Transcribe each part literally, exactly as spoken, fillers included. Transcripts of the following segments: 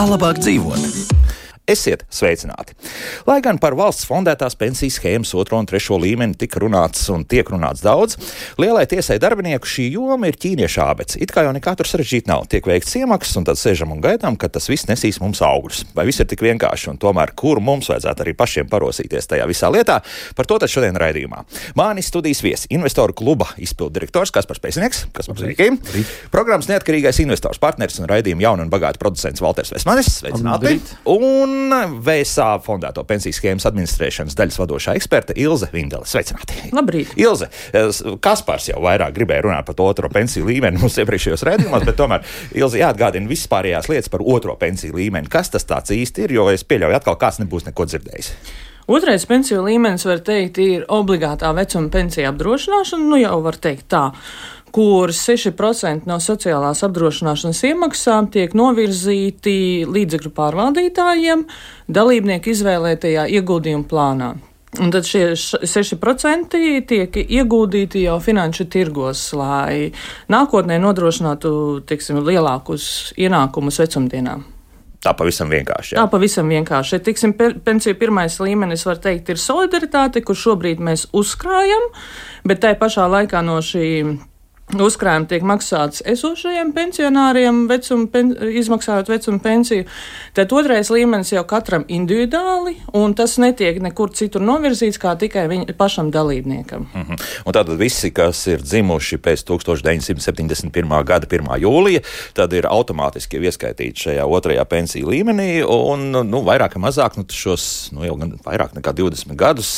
Kā labāk dzīvot? Esiet sveicināti! Lai gan par valsts fondētās pensiju schēmas otro un trešo līmeni tika runāts un tiek runāts daudz, lielai tiesai darbinieku šī joma ir ķīniešu ābece. It kā jau nekā tur sarežģīt nav. Tiek veikts iemaksas un tad sēžam un gaidām, ka tas viss nesīs mums augļus. Vai viss ir tik vienkārši un tomēr kur mums vajadzētu arī pašiem parosīties tajā visā lietā? Par to tad šodien raidījumā. Mani studijas viesi, investoru kluba izpildu direktors Kaspars Pēcinieks, Kaspars Rīkim, programmas neatkarīgais investors partneris un raidījuma jauna un bagāta producents Valters Vesmanis. Sveicināti! Un V S A fondēto pensiju schēmas administrēšanas daļas vadošā eksperte Ilze Vindele. Sveicināti! Labrīt! Ilze, Kaspars jau vairāk gribēja runāt par to otro pensiju līmeni mums iepriekšējos raidījumos, bet tomēr Ilze jāatgādina vispārējās lietas par otro pensiju līmeni. Kas tas tāds īsti ir, jo es pieļauju atkal kāds nebūs neko dzirdējis. Otrais pensiju līmenis, var teikt, ir obligātā vecuma pensija apdrošināšana, nu jau var teikt tā, kur seši procenti no sociālās apdrošināšanas iemaksām tiek novirzīti līdzekļu pārvaldītājiem dalībnieku izvēlētajā ieguldījuma plānā. Un tad šie seši procenti tiek ieguldīti jau finanšu tirgos, lai nākotnē nodrošinātu, teiksim, lielākus ienākumus vecumdienām. Tā pavisam vienkārši. Jā. Tā pavisam vienkārši. Tiksim, pensiju pirmais līmenis, var teikt, ir solidaritāte, kur šobrīd mēs uzkrājam, bet tai pašā laikā no šī uzkrājuma tiek maksāts esošajiem pensionāriem, vecuma, pen, izmaksājot vecuma pensiju. Tad otrais līmenis jau katram individuāli, un tas netiek nekur citur novirzīts, kā tikai viņa pašam dalībniekam. Mm-hmm. Un tātad visi, kas ir dzimuši pēc tusenč deviņsimt septiņdesmit pirmā gada pirmā jūlija, tad ir automātiski ieskaitīti šajā otrajā pensiju līmenī, un nu, vairāk vai mazāk, nu, šos nu, jau gan vairāk nekā divdesmit gadus,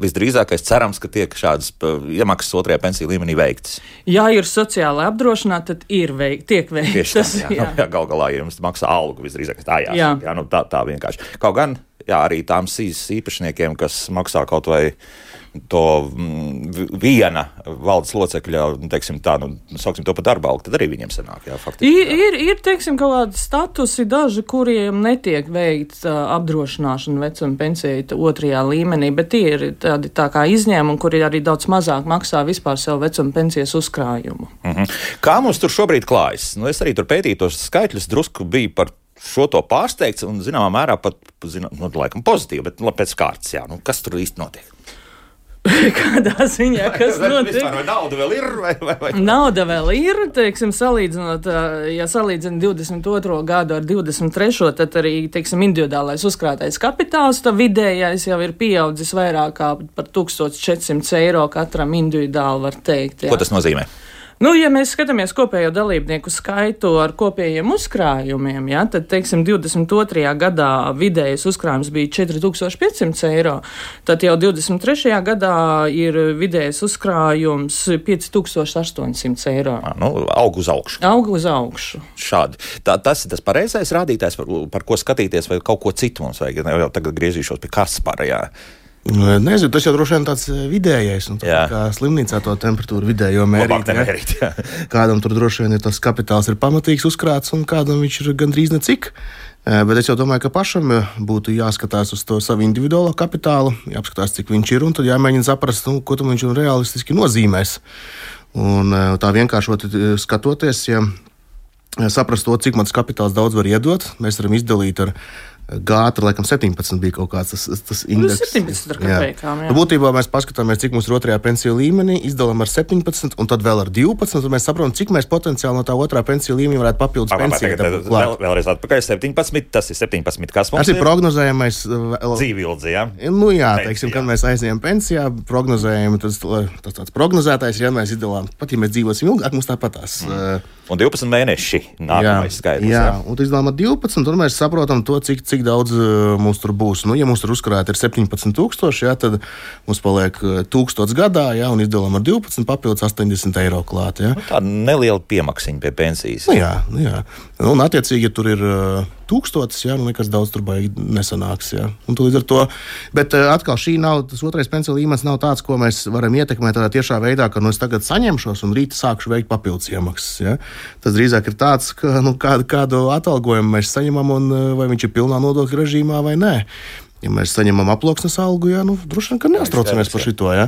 visdrīzākais cerams, ka tiek šādas iemaksas otrajā pensiju līmenī veiktas. Ja ir sociāli apdrošināti, tad ir veik, tiek veikts. Tas, jā, jā. Jā, gal galā jums maksā algu visdrīzāk. Tā, jā, jā. Jā, nu, tā, tā vienkārši. Kaut gan, jā, arī tām sīs īpašniekiem, kas maksā kaut vai to mm, viena valdes locekļa, teiksim tā, nu, sauksim to par darba algu, tad arī viņiem sanāk, jā, faktiski. Ir, ir, ir teiksim, kaut kādi statusi daži, kuriem netiek veikts uh, apdrošināšana vecuma pensija otrajā līmenī, bet tie ir tādi tā kā izņēmumi, kuri arī daudz mazāk maksā vispār savu vecuma pensijas uzkrājumu. Mm-hmm. Kā mums tur šobrīd klājas? Nu, es arī tur pētīju tos skaitļus, drusku bija par šo to pārsteigts un zināmā mērā pat, zinām, nu, laikam pozitīvi, bet nu, pēc kārtas, jā, nu, kas tur īsti notiek? Kādā ziņā, kas notiek? Vai nauda vēl ir? Vai, vai, vai? Nauda vēl ir, teiksim, salīdzinot, ja salīdzina divdesmit otro gadu ar divdesmit trešo, tad arī, teiksim, individuālais uzkrātais kapitāls, tad vidējais jau ir pieaudzis vairāk kā par tūkstoš četrsimt eiro katram individuāli, var teikt. Jā. Ko tas nozīmē? Nu, ja mēs skatāmies kopējo dalībnieku skaitu ar kopējiem uzkrājumiem, ja, tad, teiksim, divdesmit otrajā gadā vidējais uzkrājums bija četri tūkstoši piecsimt eiro, tad jau divdesmit trešajā gadā ir vidējais uzkrājums pieci tūkstoši astoņsimt eiro. À, nu, aug uz augšu. Aug uz augšu. Šādi. Tā, tas ir tas pareizais rādītājs, par, par ko skatīties, vai kaut ko citu mums vajag. Jau tagad griezīšos pie Kaspara, jā. Nezinu, tas jau droši vien tāds vidējais, un tā kā slimnīcā to temperatūru vidējo mērīt. mērīt jā. Kādam tur droši vien ir tas kapitāls ir pamatīgs uzkrāts, un kādam viņš ir gandrīz necik. Bet es jau domāju, ka pašam būtu jāskatās uz to savu individuālo kapitālu, jāapskatās, cik viņš ir, un tad jāmēģina saprast, nu, ko tam viņš realistiski nozīmēs. Un tā vienkāršot skatoties, ja saprast to, cik mans kapitāls daudz var iedot, mēs varam izdalīt ar Gātra, laikam, septiņpadsmit bija kaut kāds tas, tas indeks. septiņpadsmit ar kapekām, jā. jā. Būtībā mēs paskatāmies, cik mums ir otrajā pensiju līmenī, izdalām ar septiņpadsmit un tad vēl ar divpadsmit, un mēs saprotam, cik mēs potenciāli no tā otrā pensiju līmenī varētu papildus pensiju. Vēl, vēlreiz atpakaļ septiņpadsmit, tas ir septiņpadsmit, kas mums tas ir? Tas ir prognozējamais dzīvildzi, jā? Nu jā, teiksim, kad mēs aizējam pensijā, prognozējam, tas, tas tāds prognozētais, ja mēs izdalām, pat ja mēs dzīvosim ilgāk, mums tāpatās. Mm. Un divpadsmit mēneši nākamais skaidrs. Jā, jā, un izdalām ar divpadsmit, un mēs saprotam to, cik, cik daudz uh, mums tur būs. Nu, ja mums tur uzkrājot ir septiņpadsmit tūkstoši, jā, tad mums paliek tūkstots gadā, jā, un izdalām ar divpadsmit papildus astoņdesmit eiro klāt. Jā. Nu, tāda neliela piemaksiņa pie pensijas. Nu, jā, nu, jā. Un attiecīgi, ja tur ir uh, tūkstotis, jā, nu nekas daudz tur baigi nesanāks. Jā. Un līdz ar to, bet uh, atkal šī nav, tas otrais pensiju līmenis nav tāds, ko mēs varam ietekmēt tādā tiešā veidā, ka nu, es tagad saņemšos un rīt sākšu veikt papildus iemaksas. Jā. Tas drīzāk ir tāds, ka nu, kādu, kādu atalgojumu mēs saņemam un vai viņš ir pilnā nodokļu režīmā vai nē. Ja mēs saņemam aploksnes algu, jā, nu, droši vien, ka neuztraucamies par šito, jā.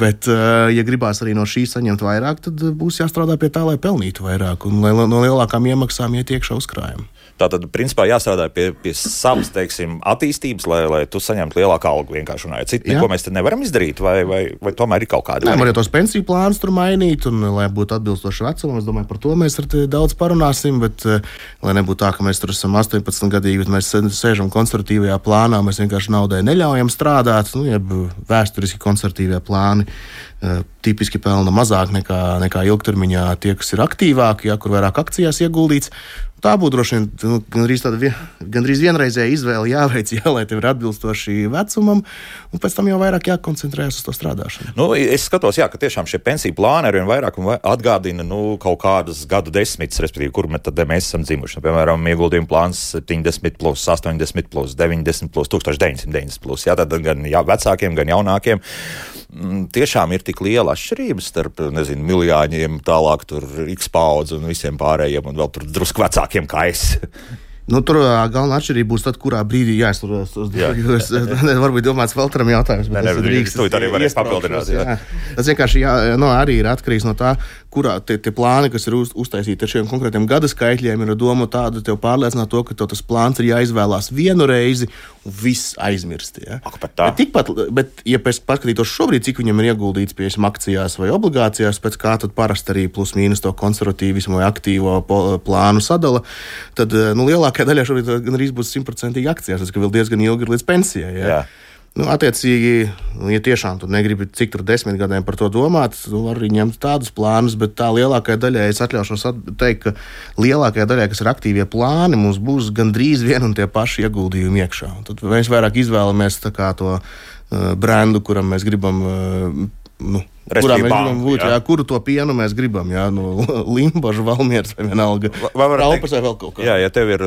Bet, ja gribās arī no šīs saņemt vairāk, tad būs jāstrādā pie tā, lai pelnītu vairāk un lai no lielākām iemaksām iet iekšā uzkrājumi. Tātad, principā, jāstrādā pie, pie savas, teiksim, attīstības, lai, lai tu saņemtu lielāku algu vienkārši runājot. Citu, neko mēs te nevaram izdarīt, vai, vai, vai tomēr ir kaut kāda? Nē, var jau tos pensiju plānus tur mainīt, un lai būtu atbilstoši vecumam, es domāju, par to mēs ar te daudz parunāsim, bet lai nebūtu tā, ka mēs tur esam astoņpadsmit gadīgi, bet mēs sēžam konservatīvajā plānā, mēs vienkārši naudai neļaujam strādāt, nu, jeb vēsturiski konservatīvie plāni tipiski pelna mazāk nekā, nekā ilgtermiņā tie, kas ir aktīvāki, ja, kur vairāk akcijās ieguldīts. Tā būtu droši vien nu, gandrīz tāda vien, gandrīz vienreizēja izvēle jāveic, jā, lai tev ir atbilstoši vecumam, un pēc tam jau vairāk jākoncentrējas uz to strādāšanu. Nu, es skatos, jā, ka tiešām šie pensiju plāni arvien vairāk un atgādina nu, kaut kādas gadu desmitus, respektīvi, kur mēs, tad mēs esam dzimuši. Nu, piemēram, ieguldījuma plāns septiņdesmit plus, astoņdesmit plus, deviņdesmit plus, tūkstoš deviņsimt deviņdesmit plus. Jā, tad gan jā, vecākiem, gan jaunākiem. Tiešām ir tik liela atšķirības starp, nezinu, miljāņiem, tālāk tur X paudze un visiem pārējiem, un vēl tur drusku vecākiem kā es. Nu, tur galvenā atšķirība būs tad, kurā brīdī jāizturās uz divas. Varbūt domāts Valteram jautājums, bet tas drīkst. Tu arī varēs papildināt. Jā. Jā. Tas vienkārši jā, no, arī ir atkarīgs no tā, kurā tie, tie plāni, kas ir uz, uztaisīti ar šiem konkrētiem gada skaitļiem, ir doma tāda tev pārliecināt to, ka tev tas plāns ir jāizvēlās vienu reizi un viss aizmirst. Ja? Ak, bet tā. Bet, tikpat, bet ja pēc paskatītos šobrīd, cik viņam ir ieguldīts pie akcijās vai obligācijās, pēc kā tad parasti arī plus mīnus to konservatīvismu vai aktīvo plānu sadala, tad nu, lielākā daļā šobrīd gan arī būs simtprocentīgi akcijās, tas ka vēl diezgan ilgi ir līdz pensijai. Ja? Jā. Nu, attiecīgi, ja tiešām tu negribi cik tur desmit gadiem par to domāt, tu vari arī ņemt tādus plānus, bet tā lielākajai daļai es atļaušos teikt, ka lielākajai daļai, kas ir aktīvie plāni, mums būs gandrīz vien un tie paši ieguldījumi iekšā. Un tad mēs vairāk izvēlamies tā kā to uh, brendu, kuram mēs gribam uh, nu, kurā mēs banku, gribam būt, jā. Jā, kuru to pienu mēs gribam, jā, no Limbaža, Valmieras vai vienalga, Raupas vai vēl kaut kā. Jā, ja tev ir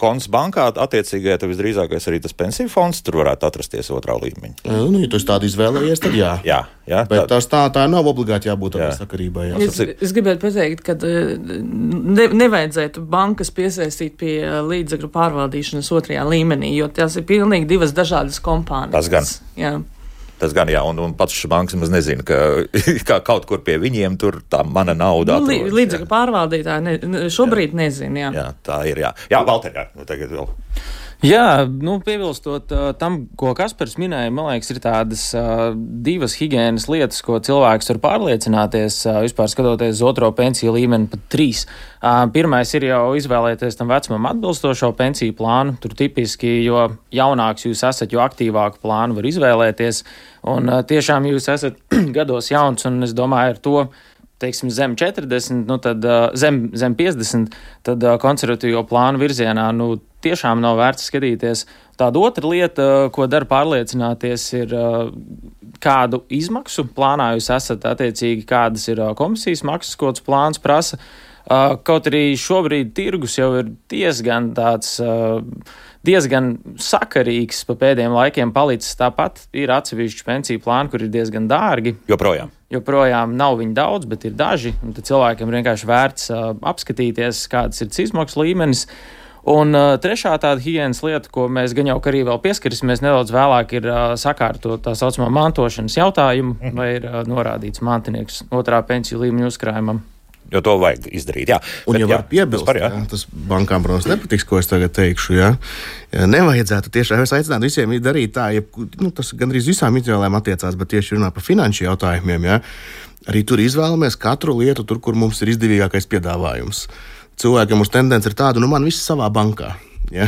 konts bankā, attiecīgai, tad visdrīzākais arī tas pensiju fonds, tur varētu atrasties otrā līmeņa. Jā, nu, ja tu tādu izvēlējies, tad jā. Jā, jā. Bet tā, tā, tā nav obligāti jābūt tādā sakarībā. Jā. Es, es gribētu pateikt, ka ne, nevajadzētu bankas piesaistīt pie līdzekļu pārvaldīšanas otrajā līmenī, jo tās ir pilnīgi divas dažādas kompānijas. Tas gan. Jā. Tas gan, jā, un, un pats šis banks maz nezina, ka, ka kaut kur pie viņiem tur tā mana nauda nu, atrodas. Līdzekļu pārvaldītāji ne, šobrīd jā. nezina, jā. Jā, tā ir, jā. Jā, Valter, jā, nu tagad vēl. Jā, nu, piebilstot uh, tam, ko Kaspars minēja, man liekas, ir tādas uh, divas higienas lietas, ko cilvēks var pārliecināties, uh, vispār skatoties uz otro pensiju līmeni, pat trīs. Uh, pirmais ir jau izvēlēties tam vecumam atbilstošo pensiju plānu, tur tipiski, jo jaunāks jūs esat, jo aktīvāku plānu var izvēlēties, un uh, tiešām jūs esat gados jauns, un es domāju ar to, teiksim, zem četrdesmit, nu tad uh, zem, zem piecdesmit, tad uh, konservatīvo plānu virzienā, nu, tiešām nav vērts skatīties. Tāda otra lieta, ko dara pārliecināties, ir kādu izmaksu plānā jūs esat, attiecīgi kādas ir komisijas maksas, ko tas plāns prasa. Kaut arī šobrīd tirgus jau ir diezgan tāds, diezgan sakarīgs pa pēdējiem laikiem palicis. Tāpat ir atsevišķi pensiju plāni, kur ir diezgan dārgi. Joprojām. Joprojām nav viņi daudz, bet ir daži. Un tad cilvēkiem vienkārši vērts apskatīties, kādas ir izmaksu līmenis. Un uh, trešā tāda higienas lieta, ko mēs gan jau arī vēl pieskarsimies nedaudz vēlāk, ir uh, sakārtot tā saucamā mantošanas jautājumu, mm. vai ir uh, norādīts mantinieks otrā pensiju līmeņa uzkrājumam. Jo to vajag izdarīt, jā. Un Bet, ja var piebilst, par, jā. Jā, tas bankām, protams, nepatiks, ko es tagad teikšu, jā. Nevajadzētu tiešām, es aicinātu visiem darīt tā, ja, nu, tas gandrīz visām izvēlēm attiecās, bet tieši runā par finanšu jautājumiem, jā. Arī tur izvēlamies katru lietu tur, kur mums ir izdevīgākais piedāvājums. Cilvēkiem uz tendence ir tāda, nu man viss savā bankā. Ja?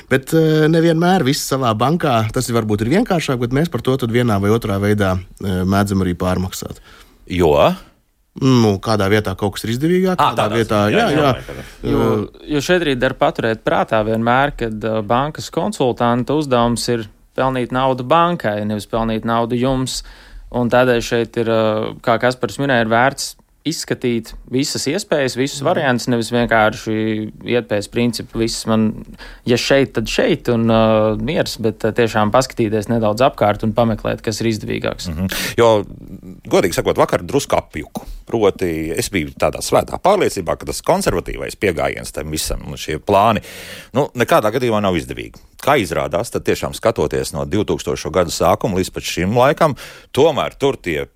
Bet nevienmēr viss savā bankā, tas varbūt ir vienkāršāk, bet mēs par to tad vienā vai otrā veidā mēdzam arī pārmaksāt. Jo? Nu, kādā vietā kaut kas ir izdevīgāk, à, kādā vietā, jā, jā. jā. Jo, jo šeit arī dar paturēt prātā vienmēr, kad bankas konsultanta uzdevums ir pelnīt naudu bankai, nevis pelnīt naudu jums. Un tādēļ šeit ir, kā Kaspars minēja, ir vērts izskatīt visas iespējas, visus variantus, nevis vienkārši iet pēc principu, viss man, ja šeit, tad šeit un uh, miers, bet uh, tiešām paskatīties nedaudz apkārt un pameklēt, kas ir izdevīgāks. Mm-hmm. Jo, godīgi sakot, vakar drusku apjuku. Proti, es biju tādā svētā pārliecībā, ka tas konservatīvais pieejams tam visam un šie plāni, nu, nekādā gadījumā nav izdevīgi. kā izrādās, tad tiešām skatoties no divtūkstošo gadu sākuma līdz pat šim laikam, tomēr tur tie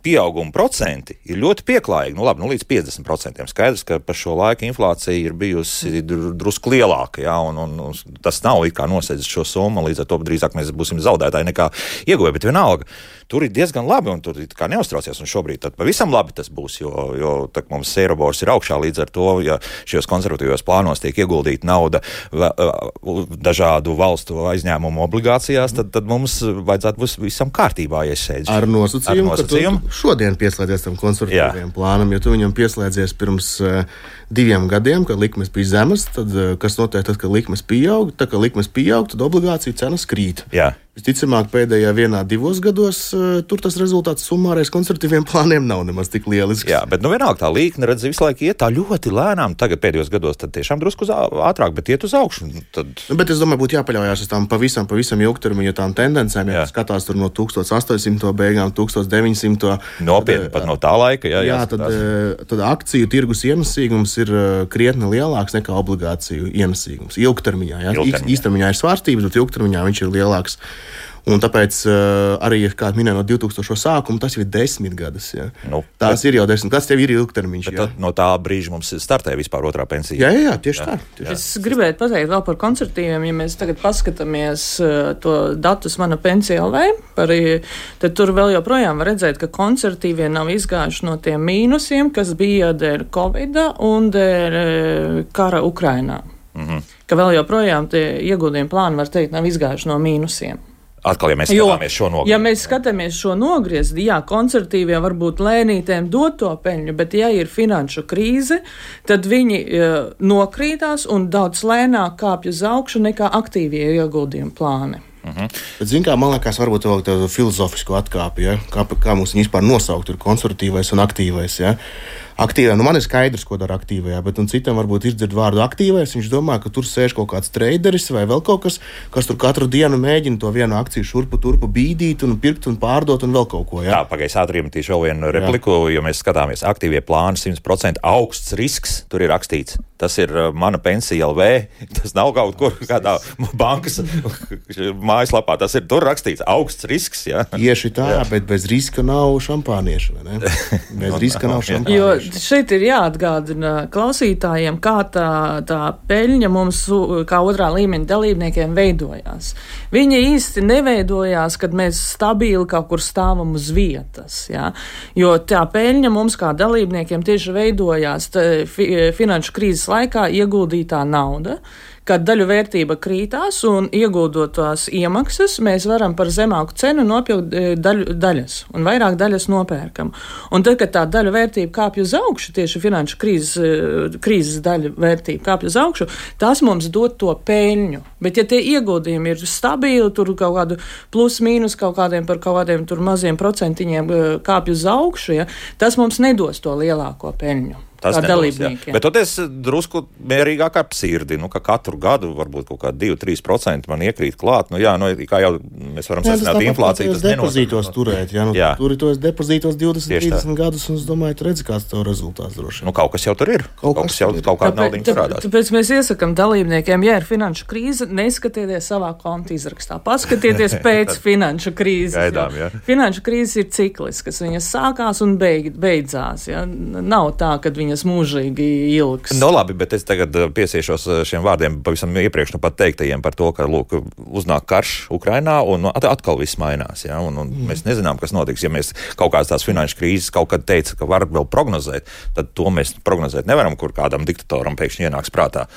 pieauguma procenti ir ļoti pieklājīgi. Nu, labi, nu, līdz piecdesmit procentiem. Skaidrs, ka par šo laiku inflācija ir bijusi drusku lielāka, jā, un, un, un tas nav it kā nosēdzis šo summu, līdz ar to drīzāk mēs būsim zaudētāji nekā ieguvēji, bet vienalga. Tur ir diezgan labi, un tur kā neuztraucies, un šobrīd tad pavisam labi tas būs, jo, jo tak mums Eirobors ir augšā, līdz ar to, ja šajos konservatīvos plānos tiek ieguldīta nauda dažādu valstu aizņēmumu obligācijās, tad, tad mums vajadzētu būt visam kārtībā iesēdz. Ar nosacījumu, Ar nosacījumu. ka tu šodien pieslēdzies tam konservatīviem plānam, ja tu viņam pieslēdzies pirms uh, diviem gadiem, kad likmes bija zemes, tad uh, kas notiek tad, kad likmes pieaug, tad, kad likmes pieaug, tad obligāciju cenas krīt. Jā. Visticamāk, pēdējā vienā, divos gados uh, tur tas rezultāts summārais konservatīviem plāniem nav nemaz tik lielisks. Jā, bet nu vienalga tā līkne, redz, visu laiku iet tā ļoti lēnām. Tagad pēdējos gados tad tiešām drusku ātrāk, bet iet uz augšu. Tad... Nu, bet es domāju, būtu jāpaļaujās uz tām pavisam, pavisam ilgtermiņa tām tendencēm. Ja skatās tur no tūkstoš astoņsimto beigām, tūkstoš deviņsimto. Nopietni, pat no tā laika, jā. Jā, tad, tad akciju tirgus ienesīgums ir krietni lielāks nekā obligāciju ienesīgums. Ilgtermiņā, jā. Ilgtermiņā. Īstermiņā ir svārstības, bet ilgtermiņā viņš ir lielāks. Un tāpēc uh, arī, kā minēju, no divtūkstošo sākuma tas jau ir desmit gadus. Ja. Nu, Tās bet, ir jau desmit gadus, tev ir ilgtermiņš. Ja. No tā brīža mums startē vispār otrā pensija. Jā, jā, jā tieši jā. tā. Tieši. Es gribētu pateikt vēl par konservatīviem, ja mēs tagad paskatāmies uh, to datus Mana Pensija L V, par, tad tur vēl joprojām var redzēt, ka konservatīvie nav izgājuši no tiem mīnusiem, kas bija dēļ Covida un dēļ uh, kara Ukrainā. Mm-hmm. Ka vēl joprojām tie ieguldījumi plāni, var teikt, nav izgājuši no mīnusiem. Atkal, ja mēs skatāmies šo nogriezni. Ja mēs skatāmies šo nogriezni, jā, konservatīvie varbūt lēnītēm dot to peļņu, bet ja ir finanšu krīze, tad viņi uh, nokrītās un daudz lēnāk kāpj uz augšu nekā aktīvie ieguldījumi plāni. Mhm. Bet, zin kā, man liekas, varbūt vēl tādu filozofisku atkāpi, ja? kā, kā mums viņi vispār nosaukt, ir konservatīvais un aktīvais, ja? Aktīvā, nu man ir skaidrs, ko dara aktīvajā, bet un citam varbūt izdzird vārdu aktīvais, viņš domā, ka tur sēž kaut kāds traderis vai vēl kaut kas, kas tur katru dienu mēģina to vienu akciju šurpu turpu bīdīt un pirkt un pārdot un vēl kaut ko, jā. Jā, pagaiz ātri iemetīšu vēl vienu repliku, jo mēs skatāmies aktīvie plāni simt procenti augsts risks, tur ir rakstīts. Tas ir uh, Mana Pensija L V, tas nav kaut kur kādā bankas mājaslapā, tas ir tur rakstīts augsts risks, jā. Tieši tā, jā. Bet bez riska nav šampānieša, vai ne? Bez riska nav šampānieša. Jo šeit ir jāatgādina klausītājiem, kā tā, tā peļņa mums, kā otrā līmeņa dalībniekiem, veidojās. Viņa īsti neveidojās, kad mēs stabili kaut kur stāvam uz vietas, jā. Jo tā peļņa mums kā dalībniekiem tieši veidojās fi, finanšu krīzes laikā ieguldītā nauda, kad daļu vērtība krītās un ieguldot tās iemaksas, mēs varam par zemāku cenu nopirkt daļu, daļas un vairāk daļas nopērkam. Un tad, kad tā daļu vērtība kāpj uz augšu, tieši finanšu krīzes, krīzes daļu vērtība kāpj uz augšu, tas mums dod to peļņu. Bet ja tie ieguldījumi ir stabili, tur kaut kādu plus mīnus kaut kādiem par kaut kādiem tur maziem procentiņiem kāpj uz augšu, ja, tas mums nedos to lielāko peļņu. Tas nedos, bet tad es drusku mierīgāk ap sirdi, nu, ka katru gadu varbūt kaut kā divi līdz trīs procenti man iekrīt klāt. Nu, jā, nu, kā jau mēs varam secināt inflāciju, tas depozītos turēt, jā, nu, jā. Tur ir tos depozītos divdesmit līdz trīsdesmit gadus, un es domāju, tu redzi, kāds tev rezultāts droši. Nu, kaut kas jau tur ir. Kaut, kaut kas jau kaut kāda naudiņa parādās. Tāpēc mēs iesakam dalībniekiem, ja ir finanšu krīze, neskatieties savā konta izrakstā. Paskatieties pēc finanšu krīzes. Gaidām, jā. Finanšu krīzes ir cikliskas, viņas sākās un beig, beidzās. Ja? Nav tā, kad viņas mūžīgi ilgs. No labi, bet es tagad piesiešos šiem vārdiem pavisam iepriekš nu pat teiktajiem par to, ka, lūk, uznāk karš Ukrainā un atkal viss mainās, ja, un, un mm. mēs nezinām, kas notiks. Ja mēs kaut kādas tās finanšu krīzes kaut kad teica, ka var vēl prognozēt, tad to mēs prognozēt nevaram, kur kādam diktatoram pēkšņi ienāks prātā.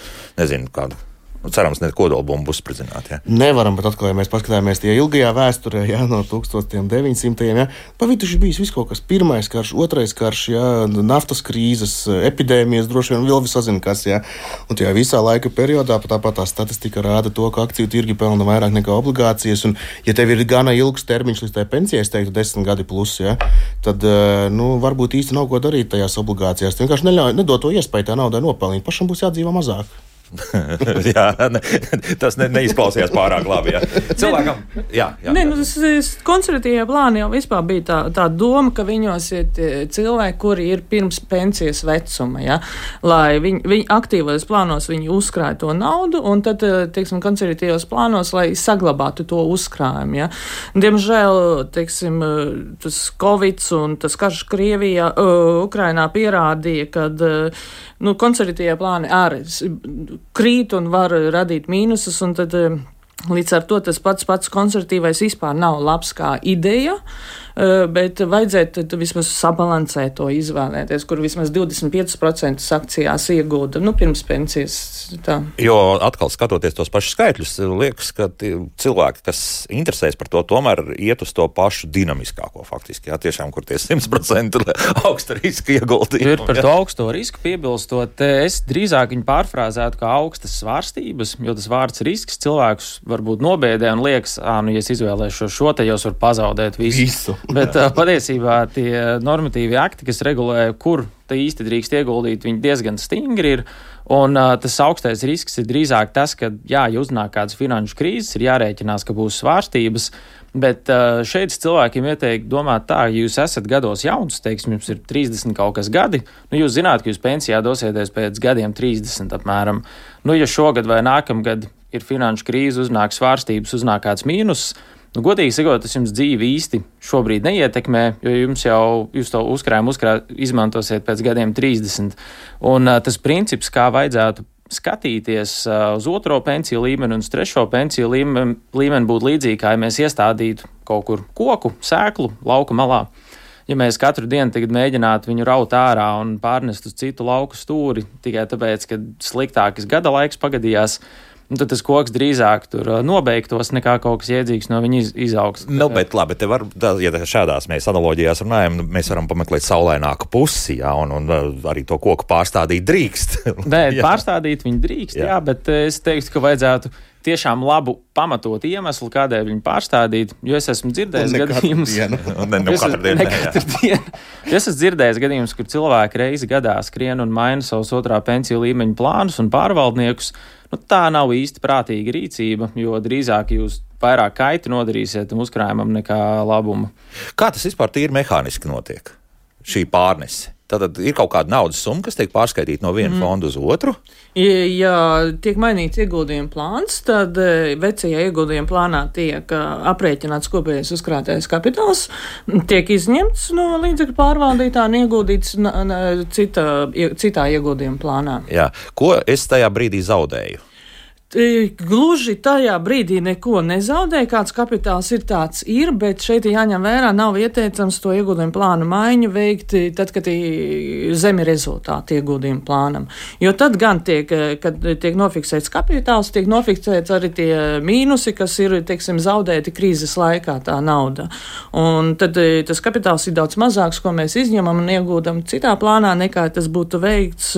Nezinu, kādu. Nu, cerams, ne kodolbumbu uzspridzināt. Ja. Nevaram, bet atkal, ja mēs paskatāmies tie ilgajā vēsturē, ja, no tūkstoš deviņsimtajiem, ja, pavituši bijis viss kaut kas. Pirmais karš, otrais karš, ja, naftas krīzes, epidēmijas, droši vien vēl visazina kas. Ja. Un tajā visā laika periodā tāpat tā statistika rāda to, ka akciju tirgi pelna vairāk nekā obligācijas. Un, ja tev ir gana ilgs termiņš līdz tai pensijai, es teiktu desmit gadi plus, ja, tad nu, varbūt īsti nav ko darīt tajās obligācijās. Tu vienkārši neļauj, nedod to iespēju tā naudai nopelnīt. Pašam būs jādzīvo mazāk. jā, ne, tas ne, neizklausījās pārāk labi. Jā. Cilvēkam, jā, jā. Nē, nu, tas konservatīvie plāni jau vispār bija tā, tā doma, ka viņos ir cilvēki, kuri ir pirms pensijas vecuma, ja, lai viņi, viņi aktīvos plānos viņi uzkrāja to naudu, un tad, teiksim, konservatīvos plānos, lai saglabātu to uzkrājumu, ja. Diemžēl, teiksim, tas Covid un tas karš Krievijā, uh, Ukrainā pierādīja, kad, uh, nu, konservatīvie plāni arī krīt un var radīt mīnusus, un tad līdz ar to tas pats pats konservatīvais vispār nav labs kā ideja, bet vajadzētu vismaz sabalansēt to izvēlēties, kur vismaz divdesmit pieci procenti akcijās iegūda, nu, pirms pensijas. Tā. Jo atkal skatoties tos pašus skaitļus, liekas, ka cilvēki, kas interesēs par to, tomēr iet uz to pašu dinamiskāko faktiski, jā, tiešām, kur tie simt procenti augsta riska ieguldījumi. Ir par to augsto risku piebilstot, es drīzāk viņu pārfrāzētu kā augstas svārstības, jo tas vārds risks cilvēkus varbūt nobēdē un liekas, ā, nu, ja es izvēlēšu šo, te jau var pazaudēt visu. visu. Bet uh, patiesībā tie normatīvi akti, kas regulē, kur te īsti drīkst ieguldīt, viņi diezgan stingri ir. Un uh, tas augstais risks ir drīzāk tas, ka, jā, ja uznāk kādas finanšu krīzes, ir jārēķinās, ka būs svārstības. Bet uh, šeit cilvēkiem ieteikt domāt tā, ja jūs esat gados jauns, teiksim, jums ir trīsdesmit kaut kas gadi, nu jūs zināt, ka jūs pensijā dosieties pēc gadiem trīsdesmit apmēram. Nu, ja šogad vai nākamgad ir finanšu krīze, uznāk svārstības, uznāk kāds mīnus, nu, godīgi sakot, tas jums dzīvi īsti šobrīd neietekmē, jo jums jau, jūs to uzkrājumu uzkrā, izmantosiet pēc gadiem trīsdesmit. Un uh, tas princips, kā vajadzētu skatīties uh, uz otro pensiju līmeni un uz trešo pensiju līmeni, līmeni būtu līdzīgi, kā ja mēs iestādītu kaut kur koku, sēklu, lauka malā. Ja mēs katru dienu tagad mēģinātu viņu raut ārā un pārnest uz citu lauku stūri, tikai tāpēc, ka sliktākais gada laiks pagadījās, un tad tas koks drīzāk tur nobeigtos, nekā kaut kas iedzīgs no viņa iz, izaugs. Nu, bet labi, te var, ja šādās mēs analoģijās runājam, mēs varam pameklēt saulaināku pusi, jā, un, un arī to koku pārstādīt drīkst. Nē, pārstādīt viņu drīkst, jā. jā, bet es teiktu, ka vajadzētu tiešām labu pamatot iemeslu, kādēļ viņu pārstādīt, jo es esmu dzirdējis gadījumus. Ne, ne katru dienu. Ne katru dienu. Es esmu dzirdējis gadījumus, kur cilvēki reizi gadā skrien un maina savus otrā pensiju līmeņa plānus un pārvaldniekus. Nu, tā nav īsti prātīga rīcība, jo drīzāk jūs vairāk kaiti nodarīsiet uzkrājumam nekā labumu. Kā tas vispār tīri mehāniski notiek, šī pārnese? Tātad ir kaut kāda naudas summa, kas tiek pārskaitīta no viena mm. fonda uz otru? Ja, ja tiek mainīts ieguldījuma plāns, tad vecajā ieguldījuma plānā tiek aprēķināts kopējais uzkrātais kapitāls, tiek izņemts no līdzekļu pārvaldītā un ieguldīts cita, citā ieguldījuma plānā. Jā. Ko es tajā brīdī zaudēju? Gluži tajā brīdī neko nezaudēja, kāds kapitāls ir tāds ir, bet šeit jāņem vērā, nav ieteicams to ieguldījumu plānu maiņu veikt tad, kad ir zemi rezultāti ieguldījumu plānam. Jo tad gan tiek, kad tiek nofiksēts kapitāls, tiek nofiksēts arī tie mīnusi, kas ir, teiksim, zaudēti krīzes laikā tā nauda. Un tad tas kapitāls ir daudz mazāks, ko mēs izņemam un iegūdam citā plānā, nekā tas būtu veikts,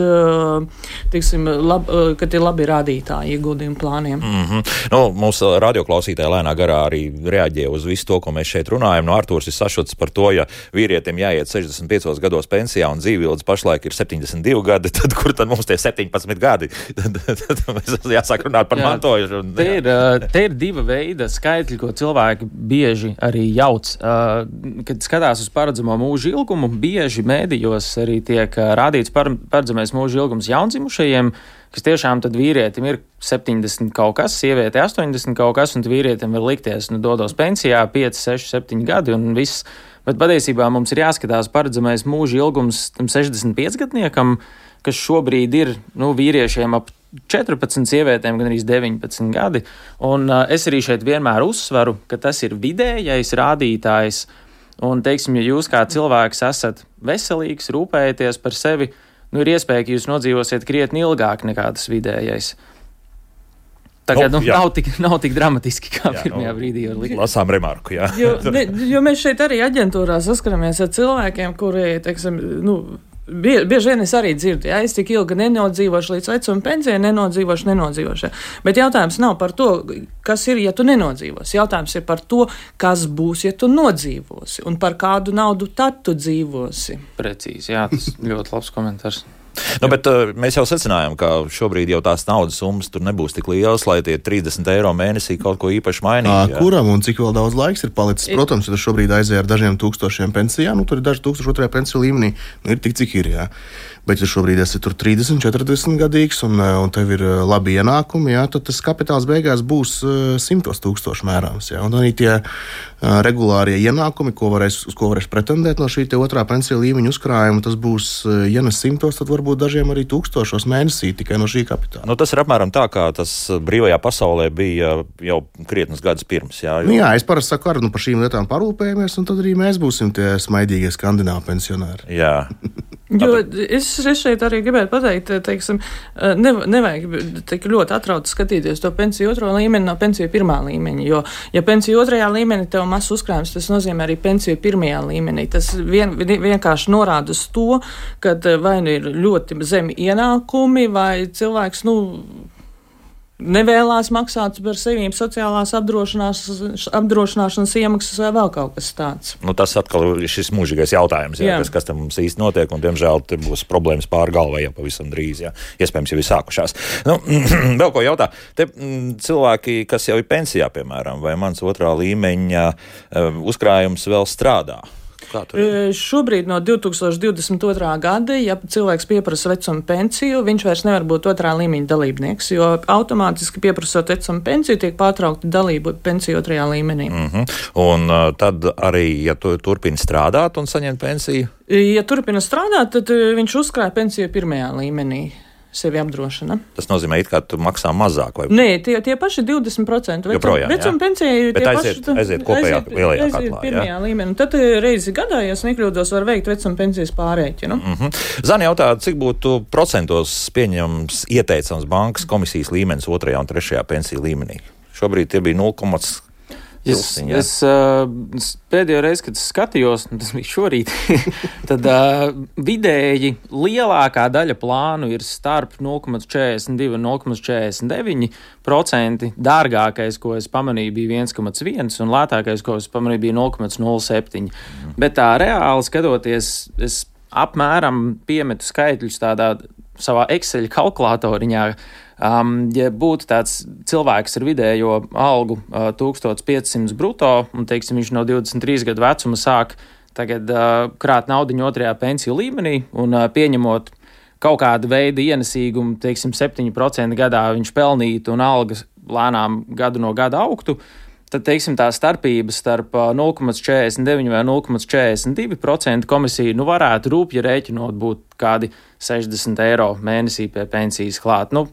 teiksim, lab, kad ir labi rādītāji iegūdījumi plāniem. Mm-hmm. Nu, mūsu radioklausītāji lēnā garā arī reaģē uz visu to, ko mēs šeit runājam. No Artūrs ir sašuts par to, ja vīrietim jāiet sešdesmit piecos gados pensijā un dzīvildz pašlaik ir septiņdesmit divi gadi, tad kur tad mums tie septiņpadsmit gadi? Tad, tad mēs jāsāk runāt par mantojumu. Te ir, te ir diva veida skaitļi, ko cilvēki bieži arī jauc. Kad skatās uz paredzamo mūža ilgumu, bieži mēdījos arī tiek rādīts paredzamais mūža ilgums jaundzimušajiem, kas tiešām tad vīrietim ir septiņdesmit kaut kas, sieviete astoņdesmit kaut kas, un vīrietim var likties, nu, dodos pensijā pieci, seši, septiņi gadi un viss. Bet patiesībā mums ir jāskatās paredzamais mūža ilgums tam sešdesmit piecgadniekam, kas šobrīd ir, nu, vīriešiem ap četrpadsmit, sievietēm gan arī deviņpadsmit gadi. Un uh, es arī šeit vienmēr uzsveru, ka tas ir vidējais rādītājs. Un, teiksim, ja jūs kā cilvēks esat veselīgs, rūpējaties par sevi, nu, ir iespēja, ka jūs nodzīvosiet krietni ilgāk nekā tas vidējais. Tagad nu, nu, nav, tik, nav tik dramatiski, kā jā, pirmajā nu, brīdī var likt. Lasām remarku, jā. Jo, ne, jo mēs šeit arī aģentūrā saskaramies ar cilvēkiem, kuri, teiksim, nu, bie, bieži vien es arī dzirdu, ja es tik ilgi nenodzīvošu līdz vecuma pensijai, nenodzīvošu, nenodzīvošu. Bet jautājums nav par to, kas ir, ja tu nenodzīvosi. Jautājums ir par to, kas būs, ja tu nodzīvosi, un par kādu naudu tad tu dzīvosi. Precīzi, jā, tas ļoti labs komentārs. Nu, bet uh, mēs jau secinājām, ka šobrīd jau tās naudas summas tur nebūs tik lielas, lai tie trīsdesmit eiro mēnesī kaut ko īpaši mainītu. Kuram un cik vēl daudz laiks ir palicis? Protams, ja tu šobrīd aizēji ar dažiem tūkstošiem pensijā, nu tur ir daži tūkstoši otrajā pensiju līmenī, nu ir tik, cik ir, jā. Bet, ja šobrīd esi tur trīsdesmit, četrdesmit gadīgs un, un tev ir labi ienākumi, jā, tad tas kapitāls beigās būs simtos tūkstoši mērāms. Jā. Un arī tie regulārie ienākumi, ko varēs, uz ko varēs pretendēt no šī te otrā pensiju līmeņa uzkrājuma, tas būs, ja ne simtos, tad varbūt dažiem arī tūkstošos mēnesī tikai no šī kapitāla. Nu, tas ir apmēram tā, kā tas brīvajā pasaulē bija jau krietnes gadus pirms. Jā, jo... nu, jā es parasti saku, ar nu par šīm lietām parūpējamies, un tad arī mēs būsim tie smaidīgie skandināvi pensionāri. Jā. Jo es, es šeit arī gribētu pateikt, teiksim, ne, nevajag tik ļoti atrauti skatīties to pensiju otro līmeni no pensiju pirmā līmeņa, jo, ja pensiju otrajā līmenī tev mazs uzkrājums, tas nozīmē arī pensiju pirmajā līmenī. Tas vien, vienkārši norāda uz to, ka vai nu ir ļoti zemi ienākumi, vai cilvēks, nu, nevēlās maksāt par sevīm sociālās apdrošināšanas, apdrošināšanas iemaksas vai vēl kaut kas tāds. Nu, tas atkal ir šis mūžīgais jautājums, jā, jā. Kas, kas tam mums īsti notiek, un, diemžēl, te būs problēmas pāri galvai jau pavisam drīz, jā. Iespējams, jau ir sākušās. Nu, vēl ko jautā. Te m, cilvēki, kas jau ir pensijā, piemēram, vai mans otrā līmeņa uzkrājums vēl strādā? Šobrīd no divi tūkstoši divdesmit otrā gada, ja cilvēks pieprasa vecuma pensiju, viņš vairs nevar būt otrā līmeņa dalībnieks, jo automātiski pieprasot vecuma pensiju tiek pārtraukta dalība pensiju otrajā līmenī. Mm-hmm. Un uh, tad arī, ja tu turpini strādāt un saņemt pensiju? Ja turpina strādāt, tad viņš uzkrāja pensiju pirmajā līmenī. Sevi apdrošina. Tas nozīmē, it kā tu maksā mazāk, vai? Nē, tie, tie paši divdesmit procenti vecuma, vecuma pensija. Bet aiziet, paši, aiziet kopējā aiziet, lielajā aiziet katlā, pirmajā jā? Līmenī. Tad reizi gadā, ja es nekļūdos, var veikt vecuma pensijas pārēķinu. Mm-hmm. Zani jautā, cik būtu procentos pieņems ieteicams bankas komisijas līmenis otrajā un trešajā pensiju līmenī? Šobrīd tie bija nulle komats nulli. Es, es uh, pēdējo reizi, kad skatījos, tas bija šorīt, tad uh, vidēji lielākā daļa plānu ir starp nulle komats četrdesmit divi un nulle komats četrdesmit deviņi procenti. Dārgākais, ko es pamanīju, bija viens komats viens un lētākais, ko es pamanīju, bija nulle komats nulle septiņi. Mm. Bet tā reāli skatoties, es apmēram piemetu skaitļus tādā savā Excel kalkulatoriņā. Um, ja būtu tāds cilvēks ar vidējo algu uh, tūkstoš piecsimt bruto, un, teiksim, viņš no divdesmit trīs gadu vecuma sāk tagad uh, krāt naudiņu otrajā pensiju līmenī, un uh, pieņemot kaut kādu veidu ienesīgumu, teiksim, septiņi procenti gadā viņš pelnītu un algas lēnām gadu no gada augtu, tad, teiksim, tā starpība starp uh, nulle komats četrdesmit deviņi vai nulle komats četrdesmit divi procenti komisija, nu, varētu rūpji rēķinot būt kādi sešdesmit eiro mēnesī pie pensijas klāt. Nu,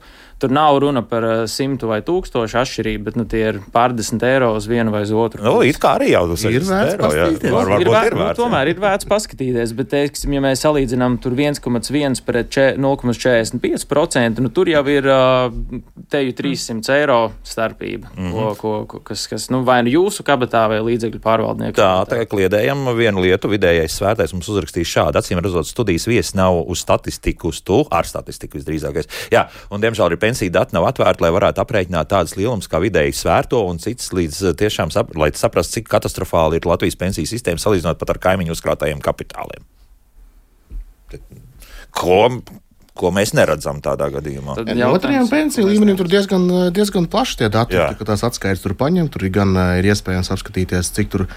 tur nav runa par simtu vai tūkstošu atšķirību, bet nu, tie ir pārdesmit eiro uz vienu vai uz otru. Nu, it kā arī jau tas ir vērts eiro, paskatīties. Var, ir, vēr, ir vērts, nu, tomēr ir vērts paskatīties, bet, teiksim, ja mēs salīdzinām tur viens komats viens pret nulle komats četrdesmit pieci procenti, nu, tur jau ir teju trīssimts eiro starpība, mm-hmm. ko, ko, ko, kas, kas nu, vai nu jūsu kabatā vai līdzekļu pārvaldnieku. Tā, tagad kliedējam vienu lietu, vidējais svērtais mums uzrakstīs šādi, acīm redzot, studijas viesis nav uz statistiku, uz tu, ar statistiku visdrīzākais. Jā, un diemžēl arī pensiju dati nav atvērti, lai varētu aprēķināt tādas lielums kā vidēji svērto un cits līdz tiešām, sap, lai saprastu, cik katastrofāli ir Latvijas pensiju sistēma salīdzinot pat ar kaimiņu uzkrātajiem kapitāliem. Ko, ko mēs neredzam tādā gadījumā? Ja, otrajām pensiju līmenim tur diezgan, diezgan plaši tie dati, ka tās atskaites tur paņem, tur gan ir iespējams apskatīties, cik tur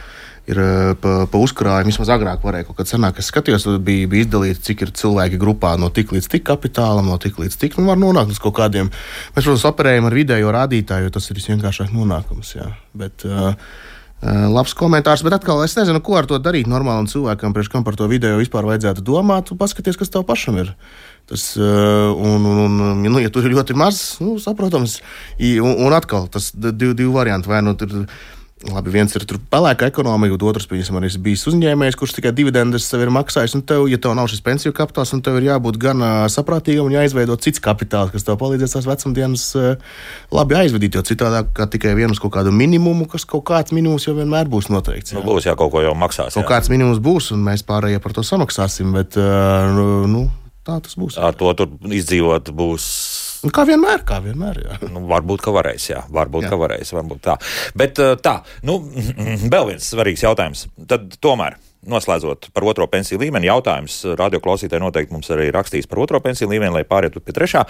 ir pa, pa uzkrājumu. Vismaz agrāk varēja kaut kad senāk, es skatījos, bija, bija izdalīts, cik ir cilvēki grupā no tik līdz tik kapitālam, no tik līdz tik, un var nonākt uz kaut kādiem. Mēs, protams, operējam ar vidējo rādītāju, jo tas ir visvienkāršāk nonākums, jā. Bet uh, labs komentārs, bet atkal es nezinu, ko ar to darīt normālam cilvēkam, priekš kam par to vidējo vispār vajadzētu domāt, un paskaties, kas tev pašam ir. Tas, uh, un, un, un, nu, ja tur ir ļoti maz, nu, saprotams, un, un atkal tas divi, divi varianti, vai nu tur labi, viens ir pelēka ekonomika, un otrs, piemēram, arī bijis uzņēmējs, kurš tikai dividendes sev ir maksājis, un tev, ja tev nav šis pensiju kapitāls, un tev ir jābūt gan uh, saprātīgam un jāizveido cits kapitāls, kas tev palīdzēs tās vecumdienas uh, labi aizvedīt, jo citādāk kā tikai vienus kaut kādu minimumu, kas kaut kāds minimums jau vienmēr būs noteikts. Jā. Nu, būs, jā, kaut ko jau maksās. Kaut jā. Kāds minimums būs, un mēs pārējie par to samaksāsim, bet, uh, nu, tā tas būs. Ar to tur izdzīvot būs. Kā vienmēr, kā vienmēr, jā. Nu, varbūt, ka varēs, jā. Varbūt, jā. ka varēs, varbūt tā. Bet tā, nu, vēl viens svarīgs jautājums. Tad tomēr noslēdzot par otro pensiju līmeni, jautājums radioklausītāji noteikti mums arī rakstīs par otro pensiju līmeni, lai pārietu pie trešā.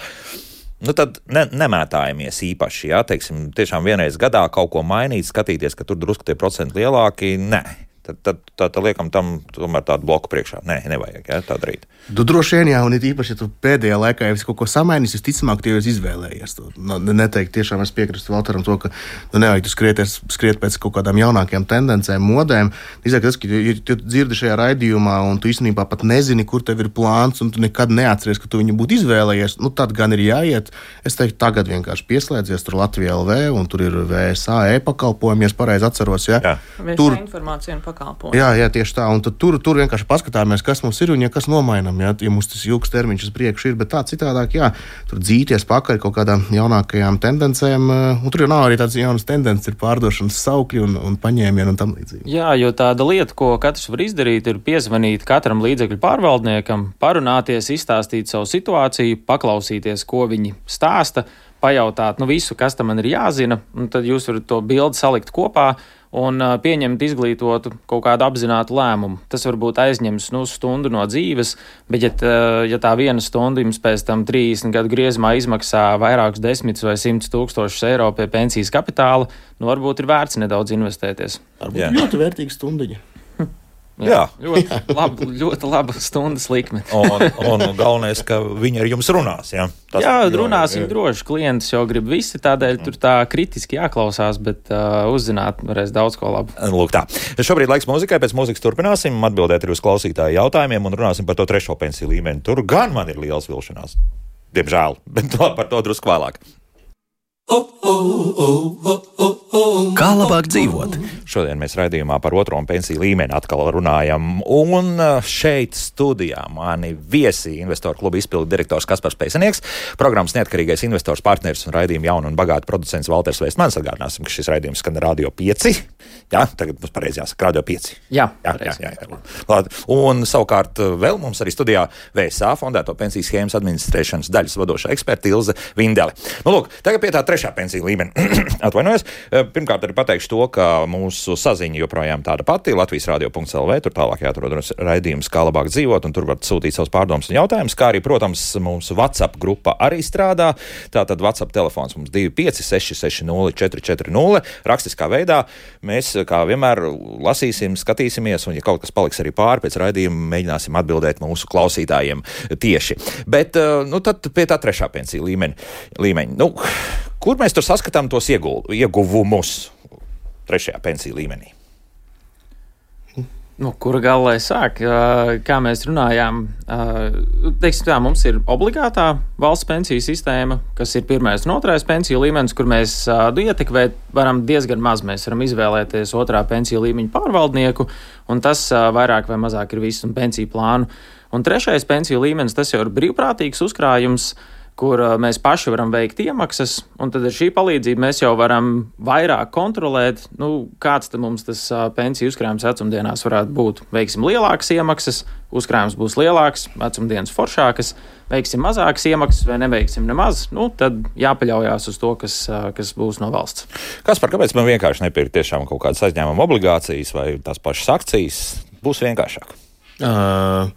Nu tad ne, nemētājamies īpaši, jā, teiksim, tiešām vienreiz gadā kaut ko mainīt, skatīties, ka tur drusku tie procenti lielāki, nē. Tad, tad, tad, tad liekam tam tomēr tādu bloku priekšā. Nē, nevajag, jā, tā darīt. Tu droši vien, jā, un it īpaši, ja tu pēdējā laikā jau esi kaut ko samainījis, visticamāk, tu jau esi izvēlējies. Nu, neteikt, tiešām es piekrītu Valteram to, ka nu, nevajag tu skrieties, skriet pēc kaut kādām jaunākajām tendencēm, modēm. Izāk, tas, ka ja tu dzirdi šajā raidījumā, un tu īstenībā pat nezini, kur tev ir plāns, un tu nekad neatceries, ka tu viņu būtu izvēlējies, nu tad gan ir jāiet. Es teiktu, tagad vienkārši pieslēdzies tur Latvija L V, un tur ir V S A e-pakalpojumi, ja es pareizi atceros, jā. Jā. Tur informācija un pakalpojumi. Jā, jā, tieši tā. Un tur, tur vienkārši paskatāmies, kas mums ir un ja kas nomainam. Jā, ja mums tas ilgs termiņš uz priekšu ir, bet tā citādāk, jā, tur dzīties pakaļ kaut kādām jaunākajām tendencēm. Un tur jau nav arī tādas jaunas tendences, ir pārdošanas saukļi un, un paņēmieni un tam līdzīgi. Jā, jo tāda lieta, ko katrs var izdarīt, ir piezvanīt katram līdzekļu pārvaldniekam, parunāties, izstāstīt savu situāciju, paklausīties, ko viņi stāsta, pajautāt, nu visu, kas tam man ir jāzina, un tad jūs varat to bildi salikt kopā un uh, pieņemt izglītotu kaut kādu apzinātu lēmumu. Tas varbūt aizņems nu, stundu no dzīves, bet ja, tā, ja tā viena stunda jums pēc tam trīsdesmit gadu griezumā izmaksā vairākus desmitus vai simtus tūkstošus eiro pie pensijas kapitāla, nu varbūt ir vērts nedaudz investēties. Varbūt jā. Ļoti vērtīga stundiņa. Jā, jā. Ļoti, laba, ļoti laba stundas likme. un, un galvenais, ka viņi ar jums runās. Jā, Tas, jā runāsim jā, jā. droši. Klientus jau grib visi, tādēļ tur tā kritiski jāklausās, bet uh, uzzināt varēs daudz ko labu. Lūk tā. Šobrīd laiks mūzikai, pēc mūzikas turpināsim, atbildēt arī uz klausītāju jautājumiem un runāsim par to trešo pensiju līmeni. Tur gan man ir liels vilšanās. Diemžēl, bet par to drusku vēlāk. Kā labāk dzīvot? Šodien mēs raidījumā par otro pensiju līmeni atkal runājam. Un šeit studijā mani viesi investoru kluba izpildu direktors Kaspars Peisenieks, programmas neatkarīgais investors partneris un raidījuma jaunu un bagātu producents Valters Veistmans. Atgādināsim, ka šis raidījums skan Radio pieci. Jā, tagad mums pareizi jāsaka Radio pieci. Jā, jā, jā, jā, jā. Un savukārt vēl mums arī studijā V S A fondēto pensiju schēmas administrēšanas daļas vadošā eksperta Ilze Vindele. Nu, lūk, tagad pie tā trešā pensiju līmeni. Atvainojos. Pirmkārt, arī pateikšu to, ka mūsu saziņa joprojām tāda pati. Latvijas radio punkts L V, tur tālāk jāatrod raidījums, kā labāk dzīvot, un tur var sūtīt savus pārdomus un jautājumus, kā arī, protams, mūsu WhatsApp grupa arī strādā. Tātad WhatsApp telefons mums divi pieci seši seši nulle četri četri nulle. Rakstiskā veidā mēs, kā vienmēr, lasīsim, skatīsimies, un ja kaut kas paliks arī pāri pēc raidījuma, mēģināsim atbildēt mūsu klausītājiem tieši. Bet, nu, tad pie tā trešā pensiju līmeņa. līmeņa. Nu, kur mēs tur saskatām tos iegul, ieguvumus trešajā pensiju līmenī? Nu, kura galā sāk? Kā mēs runājām, teiksim tā, mums ir obligātā valsts pensiju sistēma, kas ir pirmais un otrais pensiju līmenis, kur mēs ietekmēt varam diezgan maz. Mēs varam izvēlēties otrā pensiju līmeņa pārvaldnieku, un tas vairāk vai mazāk ir viss un pensiju plānu. Un trešais pensiju līmenis, tas jau ir brīvprātīgs uzkrājums, kur mēs paši varam veikt iemaksas, un tad ar šī palīdzību mēs jau varam vairāk kontrolēt, nu, kāds tad mums tas pensiju uzkrājums vecumdienās varētu būt. Veiksim lielākas iemaksas, uzkrājums būs lielāks, vecumdienas foršākas, veiksim mazākas iemaksas vai neveiksim nemaz, nu, tad jāpaļaujās uz to, kas, kas būs no valsts. Kaspar, kāpēc man vienkārši nepirkt tiešām kaut kādas aizņēmuma obligācijas vai tās pašas akcijas? Būs vienkāršāk. Uh...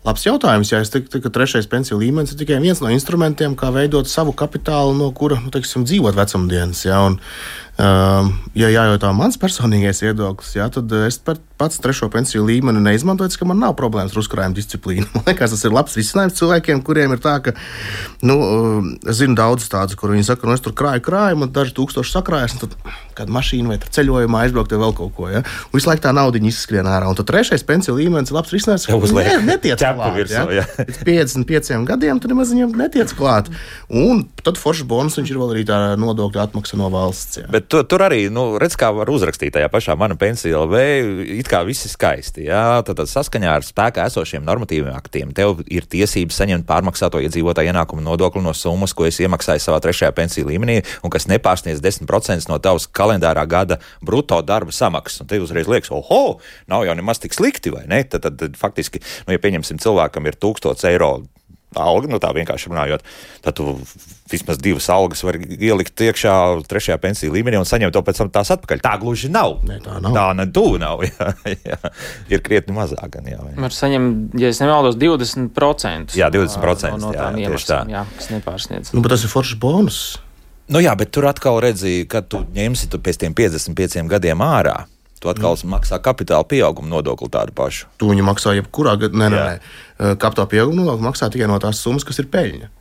Labs jautājums. Jā, es teiktu, ka trešais pensiju līmenis ir tikai viens no instrumentiem, kā veidot savu kapitālu, no kura, nu, teiksim, dzīvot vecumdienas. Jā, un, um, ja jājautā mans personīgais viedoklis, jā, tad es pats trešo pensiju līmeni neizmantoju, ka man nav problēmas ar uzkrājuma disciplīnu. Man liekas, tas ir labs risinājums cilvēkiem, kuriem ir tā, ka, nu, es zinu daudzus tādus, kur viņi saka, nu, es tur krāju krājumu, un daži tūkstoši sakrājas, un tad kāda mašīna vai ceļojumā aizbraukt vai vēl kaut ko, ja? Un visu laiku tā naudiņa izskrien ārā. Un tad trešais pensiju līmenis ir labs risinājums, ka ne, netiec klāt. Virsū, ja? Pēc piecdesmit pieciem gadiem tur nemaz viņam netiec klāt. Un tad foršs bonus viņš ir vēl arī tā nodokļa atmaksa no valsts. Ja? Bet tu, tur arī, nu, redz, kā var uzrakstīt tajā pašā Mana pensija L V, it kā viss ir skaisti, jā, tad, tad saskaņā ar spēkā esošiem normatīviem aktiem tev ir tiesības saņemt pārmaksāto iedzīvotāju ienākumu nodokli no summas, ko es iemaksāju savā trešajā pensiju līmenī, un kas nepārsniedz desmit procentus no tavas kalendārā gada bruto darba samaksas. Un te uzreiz liekas, oho, nav jau nemaz tik slikti, vai ne? Tad, tad, tad faktiski, nu, ja pieņemsim cilvēkam ir tūkstots eiro alga, nu tā vienkārši runājot, tad tu vismaz divas algas var ielikt iekšā trešajā pensiju līmenī un saņemt to pēc tam tās atpakaļ. Tā gluži nav. Ne, tā nav. Tā ne tuvu nav, jā, jā. Ir krietni mazāk gan, jā. Var saņemt, ja es nemaldos, divdesmit procentus. Jā, divdesmit procentus, no, no jā, tām tieši iemaksām, tā. jā, kas nepārsniedz. Nu, bet tas ir foršs bonus. Nu jā, bet tur atkal redzīja, kad tu ņemsi tu pēc tiem piecdesmit pieciem gadiem ārā. Tu atkal mm. maksā kapitāla pieauguma nodokli tādu pašu. Tu viņu maksā jebkurā gadā. Nē, nē, nē. Kapitāla pieauguma nodokli maksā tikai no tās summas, kas ir peļņa.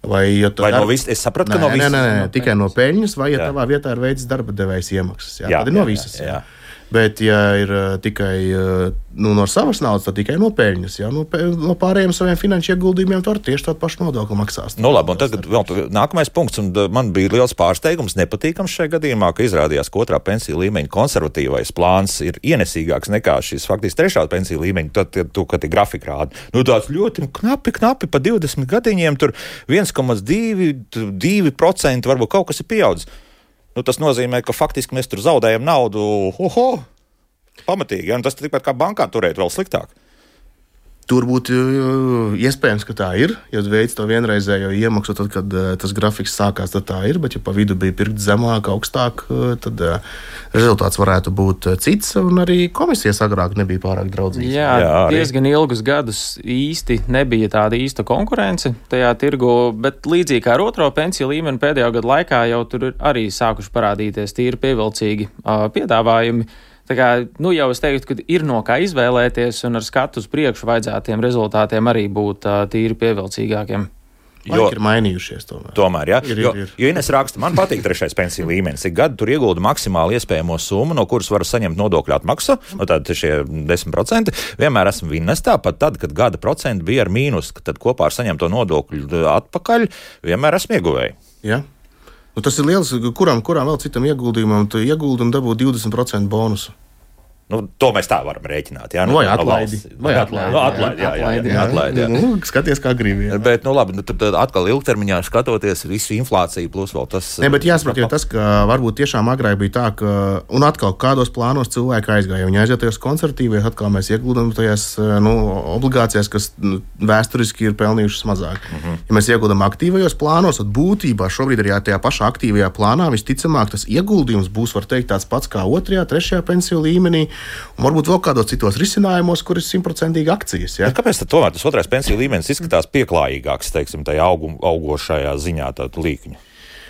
Vai, ja vai dar... no visas? Es sapratu, nē, ka no visas. Nē, nē, nē, no tikai no peļņas, vai ja jā. tavā vietā ir veids darba devējs iemaksas. Jā, Jā, tad ir no jā, visas. jā, jā. Bet, ja ir uh, tikai uh, nu, no savas naudas, tad tikai no peļņas. Jā, no, pe... no pārējiem saviem finanšu ieguldījumiem tu ar tieši tādu pašu nodokli maksās. Nu, labi, un tagad vēl nākamais punkts, un man bija liels pārsteigums, nepatīkams šajā gadījumā, ka izrādījās, ka otrā pensiju līmeņa konservatīvais plāns ir ienesīgāks nekā šis faktiski trešā pensiju līmeņa. Tad, tu, kad ir grafika rāda, nu tāds ļoti knapi, knapi pa divdesmit gadiņiem, tur viens komats divi procenti varbūt kaut kas ir pieaudzis. Nu, tas nozīmē, ka faktiski mēs tur zaudējam naudu, oho, pamatīgi, ja? Un tas tikpat kā bankā turēt vēl sliktāk. Tur būtu iespējams, ka tā ir. Ja veids to vienreizējo iemaksu, tad, kad tas grafiks sākās, tad tā ir. Bet, ja pa vidu bija pirkt zemāk, augstāk, tad rezultāts varētu būt cits. Un arī komisijas agrāk nebija pārāk draudzīgas. Jā, Jā diezgan ilgus gadus īsti nebija tāda īsta konkurence tajā tirgu, bet līdzīgi kā ar otro pensiju līmeni pēdējo gadu laikā jau tur ir arī sākuši parādīties tīri pievilcīgi uh, piedāvājumi. Tā kā, nu jau es teiktu, ka ir no kā izvēlēties, un ar skatu uz priekšu vajadzētiem rezultātiem arī būt uh, tīri pievilcīgākiem. Jo ir mainījušies tomēr. Tomēr, jā. Ir, jo, ir, ir. jo Ines raksta, man patīk trešais pensiju līmenis. Ik gadu tur iegulda maksimāli iespējamo summu, no kuras var saņemt nodokļu atmaksu, no tad šie desmit procenti. Vienmēr esmu vinnestā, pat tad, kad gada procenti bija ar mīnus, tad kopā ar saņemto nodokļu atpakaļ, vienmēr esmu ieguvēji. Jā. Nu, tas ir liels, kuram, kuram vēl citam ieguldījumam, tu ieguldi un dabū divdesmit procentu bonusu. Nu, to mēs tā varam rēķināt. Jā, nu, vai no atlaidi. valsts. Vai atlaidi. No, atlaidi, jā, jā, jā, jā, atlaidi, jā. Nu, skaties, kā gribi. Jā. Bet, nu labi, nu, tad atkal ilgtermiņā skatoties visu inflāciju plus vēl tas. Ne, bet jāsaprot, jo tas, ka varbūt tiešām agrāk bija tā, ka, un atkal kādos plānos cilvēki aizgāja. Viņi aiziet tajos konservatīvajos, atkal mēs ieguldam tajās nu, obligācijās, kas nu, vēsturiski ir pelnījušas mazāk. Mm-hmm. Ja mēs ieguldam aktīvajos plānos, tad būtībā šobrīd arī tajā pašā aktīvajā plānā visticamāk tas ieguldījums būs, var teikt, tāds pats kā otrajā, trešajā pensiju līmenī, un varbūt vēl kādos citos risinājumos, kur ir simtprocentīgi akcijas. Ja? Kāpēc tad tomēr tas otrais pensiju līmenis izskatās pieklājīgāks, teiksim, tajā augu, augošajā ziņā tādu līkņu?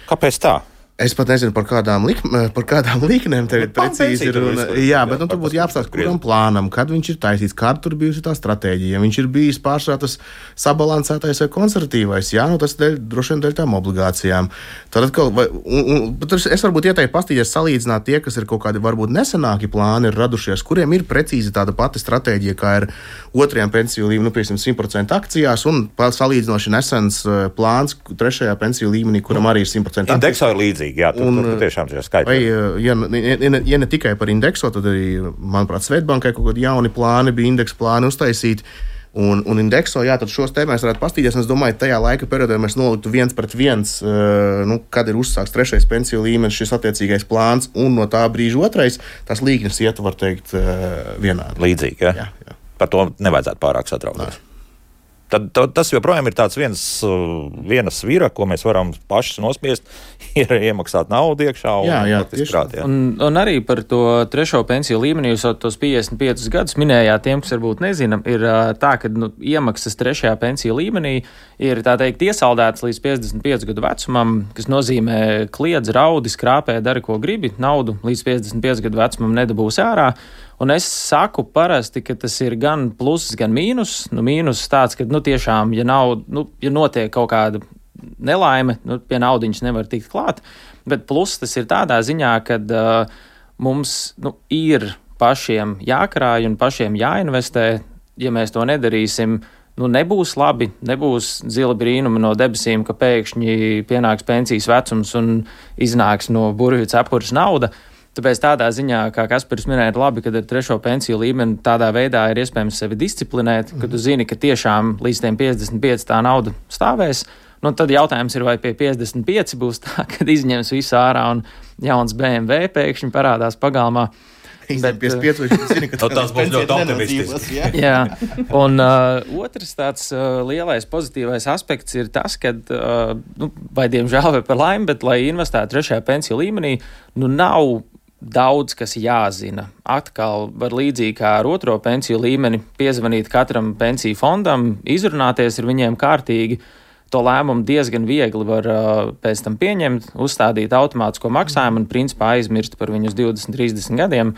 Kāpēc tā? Es pat nezinu, par kādām, lik, par kādām līknēm tagad precīzi ir. Un, jā, bet nu, tur būtu jāapstāsta, kuram plānam, kad viņš ir taisīts, kāda tur bijusi tā stratēģija. Viņš ir bijis pārsvarā tas sabalansētais vai konservatīvais, jā, nu tas dēļ, droši vien dēļ tām obligācijām. Tad atkal, vai, un, un, bet es varbūt ieteiktu pastīties salīdzināt tie, kas ir kaut kādi varbūt nesenāki plāni ir radušies, kuriem ir precīzi tāda pati stratēģija, kā ir otrajām pensiju līmenī, nu, piemēram, simt procenti akcijās, un salīdzinoši nesens plāns trešajā pensiju līmenī, kuram arī ir simt procenti akcijas. Indeksā ir līdzīgi. Jā, tur, un, tur tiešām ir skaidrs. Vai, ja, ja, ne, ja ne tikai par indeksu, tad arī, manuprāt, Svetbankai kaut kādi jauni plāni bija indeksu plāni uztaisīti. Un, un indekso, jā, tad šos te mēs varētu pastīties. Es domāju, ka tajā laika periodā mēs noliktu viens pret viens, nu, kad ir uzsākts trešais pensiju līmenis, šis attiecīgais plāns, un no tā brīža otrais, tas līknes iet, var teikt, vienādi. Līdzīgi, jā? Jā, jā. Par to nevajadzētu pārāk satraukties. Tad, tad tas joprojām ir tāds viens, viena svira, ko mēs varam paši nospiest, ir iemaksāt naudu iekšā. Un, jā, jā, tieši krāt, jā. Un, un arī par to trešo pensiju līmeni, jūs tos piecdesmit piecus gadus minējāt, tiem, kas varbūt nezina, ir tā, ka nu, iemaksas trešajā pensiju līmenī ir tā teikt iesaldētas līdz piecdesmit piecu gadu vecumam, kas nozīmē kliedz, raudi, skrāpē, dari, ko gribi, naudu līdz piecdesmit piecu gadu vecumam nedabūs ārā. Un es saku parasti, ka tas ir gan pluss, gan mīnus. Nu, mīnus tāds, ka nu, tiešām, ja, nav, nu, ja notiek kaut kāda nelaime, nu, pie naudiņas nevar tikt klāt. Bet pluss tas ir tādā ziņā, ka uh, mums nu, ir pašiem jākrāj un pašiem jāinvestē. Ja mēs to nedarīsim, nu, nebūs labi, nebūs zila brīnuma no debesīm, ka pēkšņi pienāks pensijas vecums un iznāks no burvju cepures nauda. Tāpēc tādā ziņā, kā Kaspars minēja, ir labi, ka ar trešo pensiju līmeni tādā veidā ir iespējams sevi disciplinēt, ka tu zini, ka tiešām līdz tiem piecdesmit pieci tā nauda stāvēs. Nu, tad jautājums ir, vai pie piecdesmit pieci būs tā, kad izņems visu ārā un jauns B M W pēkšņi parādās pagalmā. Bet pie pieciem zini, ka tas būs ļoti optimistisks. Jā, jā. Un uh, otrs tāds uh, lielais pozitīvais aspekts ir tas, ka, uh, nu, vai diemžēl vai par laimi, bet lai investētu trešajā pensiju līmenī, nu nav daudz, kas jāzina. Atkal var līdzīgi kā ar otro pensiju līmeni piezvanīt katram pensiju fondam, izrunāties ar viņiem kārtīgi. To lēmumu diezgan viegli var uh, pēc tam pieņemt, uzstādīt automātisko maksājumu un principā aizmirst par viņu uz divdesmit, trīsdesmit gadiem.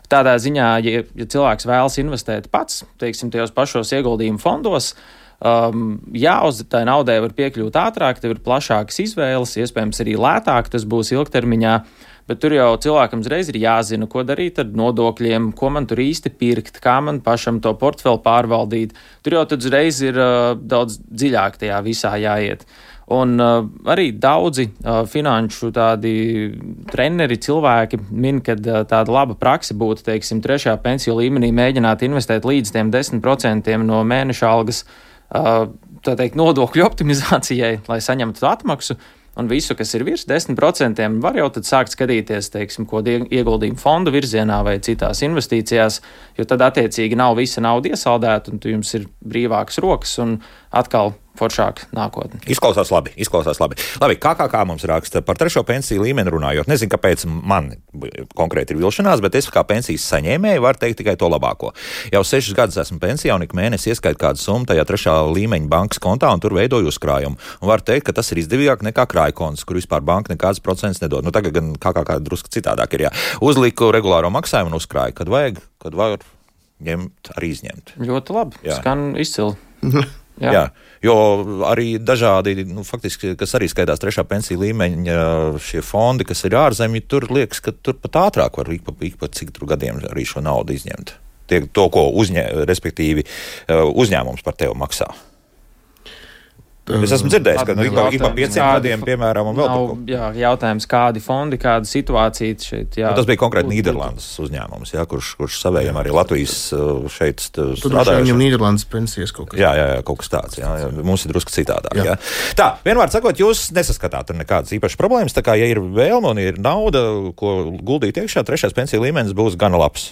Tādā ziņā, ja, ja cilvēks vēlas investēt pats, teiksim, tajos pašos ieguldījumu fondos, um, jā, uz tai naudai var piekļūt ātrāk, tev ir plašākas izvēles, iespējams arī lētāk tas būs ilgtermiņā. Bet tur jau cilvēkam uzreiz ir jāzina, ko darīt ar nodokļiem, ko man tur īsti pirkt, kā man pašam to portfeli pārvaldīt. Tur jau tad uzreiz ir uh, daudz dziļāk tajā visā jāiet. Un uh, arī daudzi uh, finanšu tādi treneri, cilvēki min, ka uh, tāda laba prakse būtu, teiksim, trešajā pensiju līmenī mēģināt investēt līdz tiem desmit procentiem no mēneša algas, uh, tā teikt, nodokļu optimizācijai, lai saņemtu atmaksu. Un visu, kas ir virs desmit procentiem, var jau tad sākt skatīties, teiksim, ko ieguldījumu fondu virzienā vai citās investīcijās, jo tad attiecīgi nav visa nauda iesaldēta un tu jums ir brīvākas rokas un atkal foršāk nākotne. Izklausās labi, izklausās labi. Labi, kā kā kā mums raksta par trešo pensiju līmeni runājot. Nezinu, kāpēc man konkrēti ir vilšanās, bet es kā pensijas saņēmēju varu teikt tikai to labāko. Jau sešus gadus esmu pensijā un ik mēnesi ieskaitu kādu summu tajā trešā līmeņa bankas kontā un tur veidoju uzkrājumu. Un varu teikt, ka tas ir izdevīgāk nekā krājkonts, kur vispār banka nekādas procents nedod. Nu, tagad gan kā kā kā drusku citādāk ir, jā. Uzliku regulāro maksājumu un uzkrāju, kad vajag, kad var ņemt, arī izņemt. Ļoti labi, jā. Skan izcili. Jā. Jā, jo arī dažādi, nu, faktiski, kas arī skaitās trešā pensiju līmeņa šie fondi, kas ir ārzemji, tur liekas, ka tur pat ātrāk var ik pa, ik pa cik tur gadiem arī šo naudu izņemt. Tie, to, ko uzņē, respektīvi uzņēmums par tevi maksā. Es esmu dzirdējis, ka nu, ik pa, ik pa pieciem gadiem, piemēram, un vēl nav, kaut ko. Jā, jautājums, kādi fondi, kāda situācija šeit. Jā, nu, tas bija konkrēti Nīderlandes uzņēmums, jā, kurš, kurš savējam arī Latvijas šeit strādājuši. Tur viņam Nīderlandes pensijas kaut kas. Jā, jā, jā, kaut kas tāds. Jā, jā. Mums ir drusku citādāk. Jā. Jā. Tā, vienmēr sakot, jūs nesaskatāt tur nekādas īpašas problēmas, tā kā, ja ir vēlme un ir nauda, ko guldīt iekšā, trešais pensiju līmenis būs gana labs.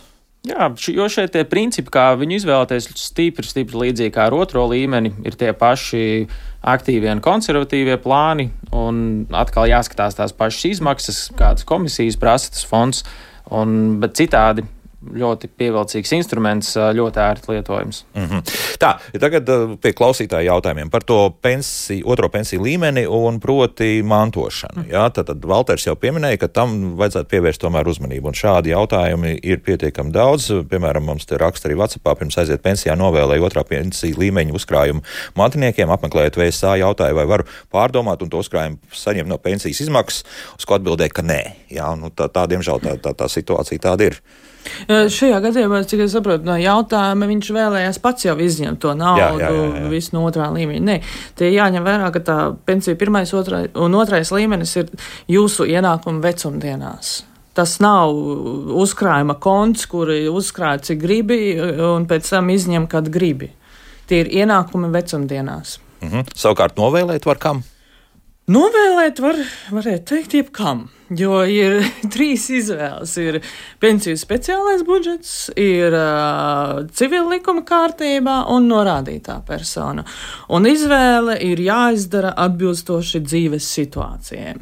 Jā, jo šeit tie principi, kā viņu izvēlēties, stipri, stipri līdzīgi kā ar otro līmeni, ir tie paši aktīvie un konservatīvie plāni, un atkal jāskatās tās pašas izmaksas, kādas komisijas prasa tas fonds, un, bet citādi ļoti pievilcīgs instruments, ļoti ērti lietojams. Mm-hmm. Tā, tagad pie klausītāja jautājumiem par to pensiju, otro pensiju līmeni un proti mantošanu. Jā, tad, tad Valters jau pieminēja, ka tam vajadzētu pievērst tomēr uzmanību, un šādi jautājumi ir pietiekami daudz. Piemēram, mums te raksta arī WhatsAppā, pirms aiziet pensijā novēlēja otrā pensiju līmeņa uzkrājumu mantiniekiem, apmeklējot V S A jautāja, vai varu pārdomāt un to uzkrājumu saņemt no pensijas izmaksas, uz ko atbildēja, ka nē. Jā, nu tā, tā diemžēl tā, tā, tā situācija tāda ir. Šajā gadījumā, cik es saprotu no jautājuma, viņš vēlējās pats jau izņemt to naudu, jā, jā, jā, jā. Visu no otrā līmeņa. Nē, tie jāņem vērā, ka tā pensija pirmais otrai, un otrais līmenis ir jūsu ienākuma vecumdienās. Tas nav uzkrājuma konts, kuri uzkrāja cik gribi un pēc tam izņem, kad gribi. Tie ir ienākumi vecumdienās. Mhm. Savukārt novēlēt var kam? Novēlēt var, varētu teikt, jebkam, jo ir trīs izvēles. Ir pensiju speciālais budžets, ir uh, civila likuma kārtībā un norādītā persona. Un izvēle ir jāizdara atbilstoši dzīves situācijai.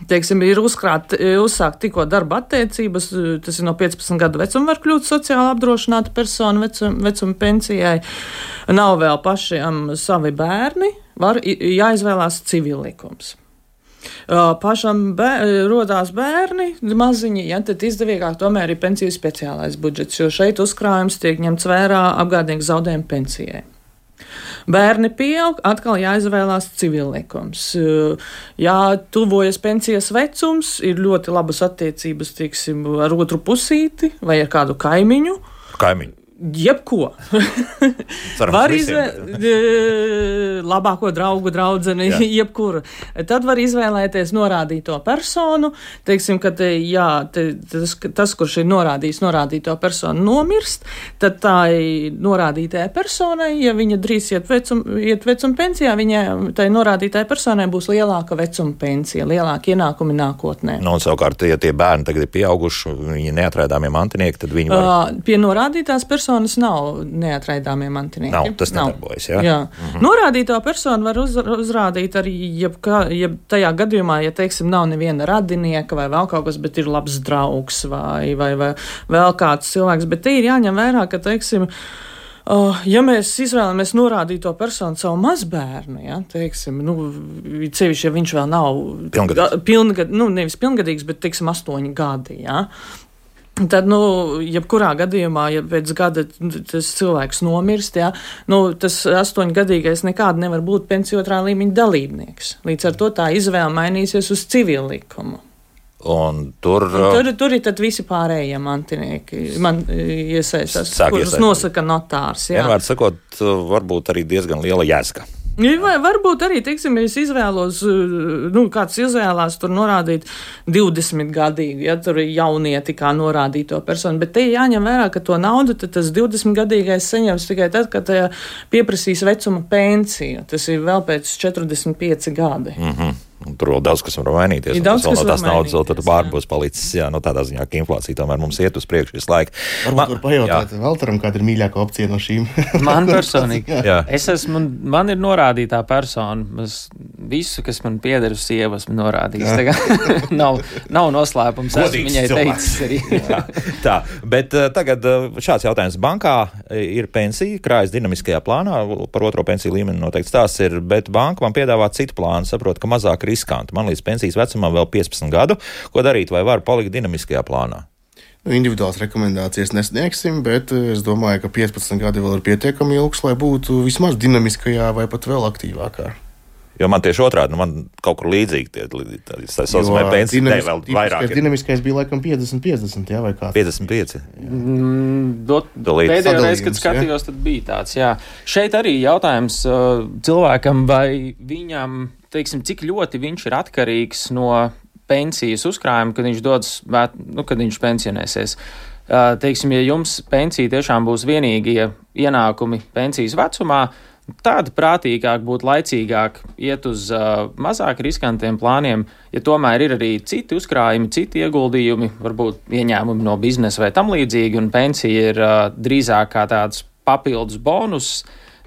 Teiksim, ir uzkrāt, uzsākt tikko darba attiecības, tas ir no piecpadsmit gadu vecuma var kļūt sociāli apdrošināta persona vecuma, vecuma pensijai. Nav vēl pašiem savi bērni, var jāizvēlās civillikums. Pašam bēr, rodās bērni, maziņi, ja, tad izdevīgāk tomēr ir pensiju speciālais budžets, jo šeit uzkrājums tiek ņemts vērā apgādnieku zaudējumu pensijai. Bērni pieaug, atkal jāizvēlās civillikums. Jā, tuvojas pensijas vecums, ir ļoti labas attiecības, tieksim, ar otru pusīti vai ar kādu kaimiņu. Kaimiņu. Jebko. Var izvēlēties labāko draugu, draudzeni, jebkuru. Tad var izvēlēties norādīto personu. Teiksim, ka te, jā, te, tas, tas, kurš ir norādījis norādīto personu, nomirst, tad tā norādītajai personai, ja viņa drīz iet vecuma, iet vecuma pensijā, viņai tai norādītajai personai būs lielāka vecuma pensija, lielāka ienākumi nākotnē. Nu, un savukārt, ja tie bērni tagad ir pieauguši, viņi neatraidāmie mantinieki, tad viņi var... Uh, pie norādītās personas Personas nav neatraidāmie mantinieki. Nav, tas nedarbojas, jā? Jā. Mhm. Norādīto personu var uz, uzrādīt arī, jebkā, jeb tajā gadījumā, ja, teiksim, nav neviena radinieka vai vēl kaut kas, bet ir labs draugs vai, vai, vai vēl kāds cilvēks, bet te ir jāņem vērā, ka, teiksim, Uh, ja mēs izvēlamies norādīto personu savu mazbērnu, ja, teiksim, nu, cevišķi, ja viņš vēl nav pilngadīgs, pilngad, nu, nevis pilngadīgs, bet, teiksim, astoņi gadi, ja, tad, nu, jebkurā gadījumā, ja pēc gada tas cilvēks nomirst, ja, nu, tas astoņgadīgais nekādi nevar būt pensiju otrā līmeņa dalībnieks. Līdz ar to tā izvēle mainīsies uz civilu likumu. Un tur, un tur, tur ir tad visi pārējie mantinieki, man iesaistās, kurus iesaistās. Nosaka notārs. Jā. Vienmēr sakot, varbūt arī diezgan liela jēzga. Vai varbūt arī, teiksim, ja es izvēlos, nu, kāds izvēlās tur norādīt divdesmit gadīgu, ja tur ir jaunieti kā norādīto personu, bet te jāņem vērā, ka to naudu tad tas divdesmit gadīgais saņems tikai tad, kad pieprasīs vecuma pensiju. Tas ir vēl pēc četrdesmit pieci gadi. Mhm. Tur vēl daudz, kas var mainīties. Ir daudz, tas kas no tās var naudas vēl tur pār jā. būs palicis. Jā, no tādā ziņā, ka inflācija tomēr mums iet uz priekšu visu laiku. Varbūt var pajautāt Valteram, kāda ir mīļākā opcija no šīm. Man personīgi. jā. Es esmu, man ir norādītā persona. Es visu, kas man pieder uz sievu, esmu norādījis. Tā nav, nav noslēpums. Esmu viņai teicis arī. Tā, bet uh, tagad uh, šāds jautājums. Bankā ir pensija, krājas dinamiskajā plānā, par otro pensiju līmeni noteikti tās ir, bet banka man piedāvā citu plānu, saprot, ka mazāk riskanti. Man līdz pensijas vecumam vēl piecpadsmit gadu. Ko darīt, vai var palikt dinamiskajā plānā? Nu, individuālas rekomendācijas nesniegsim, bet es domāju, ka piecpadsmit gadi vēl ir pietiekami ilgs, lai būtu vismaz dinamiskajā vai pat vēl aktīvākā. Jo man tieši otrādi, nu man kaut kur līdzīgi tie, tā saucamā pensija, ne vēl vairāk. Dinamiskais bija laikam piecdesmit piecdesmit, jā, vai kā? piecdesmit pieci. Mm, dot, pēdējo reizi, kad skatījos, tad bija tāds, jā. Šeit arī jautājums uh, cilvēkam, vai viņam, teiksim, cik ļoti viņš ir atkarīgs no pensijas uzkrājuma, kad viņš dodas, nu, kad viņš pensionēsies. Uh, teiksim, ja jums pensija tiešām būs vienīgie ienākumi pensijas vecumā, tāda prātīgāk būtu laicīgāk iet uz uh, mazāk riskantiem plāniem, ja tomēr ir arī citi uzkrājumi, citi ieguldījumi, varbūt ieņēmumi no biznesa vai tam līdzīgi, un pensija ir uh, drīzāk kā tāds papildus bonus,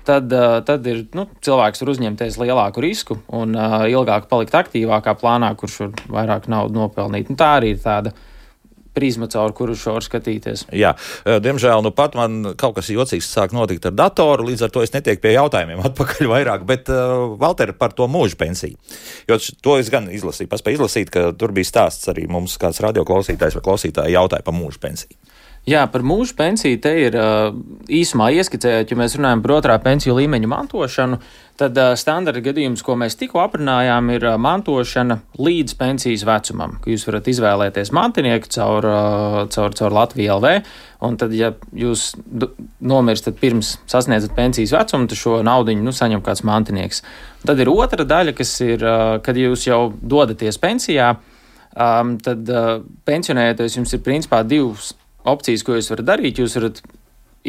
tad, uh, tad ir, nu, cilvēks var uzņemties lielāku risku un uh, ilgāk palikt aktīvākā plānā, kurš var vairāk naudu nopelnīt. Un tā arī ir tāda prizma, caur kuru šo var skatīties. Jā, diemžēl, nu pat man kaut kas jocīgs sāk notikt ar datoru, līdz ar to es netieku pie jautājumiem atpakaļ vairāk, bet, uh, Valter, par to mūža pensiju. Jo to es gan izlasīju, paspēju izlasīt, ka tur bija stāsts arī mums kāds radioklausītājs vai klausītāji jautāja par mūža pensiju. Jā, par mūža pensiju te ir uh, īsumā ieskicējot, ja mēs runājam par otrā pensiju līmeņa mantošanu, tad uh, standarta gadījums, ko mēs tikko aprunājām, ir uh, mantošana līdz pensijas vecumam, ka jūs varat izvēlēties mantinieku caur, uh, caur, caur Latviju L V, un tad, ja jūs nomirstat pirms sasniedzat pensijas vecumu, tad šo naudiņu, nu, saņem kāds mantinieks. Un tad ir otra daļa, kas ir, uh, kad jūs jau dodaties pensijā, um, tad uh, pensionējoties jums ir principā divas opcijas, ko jūs varat darīt. Jūs varat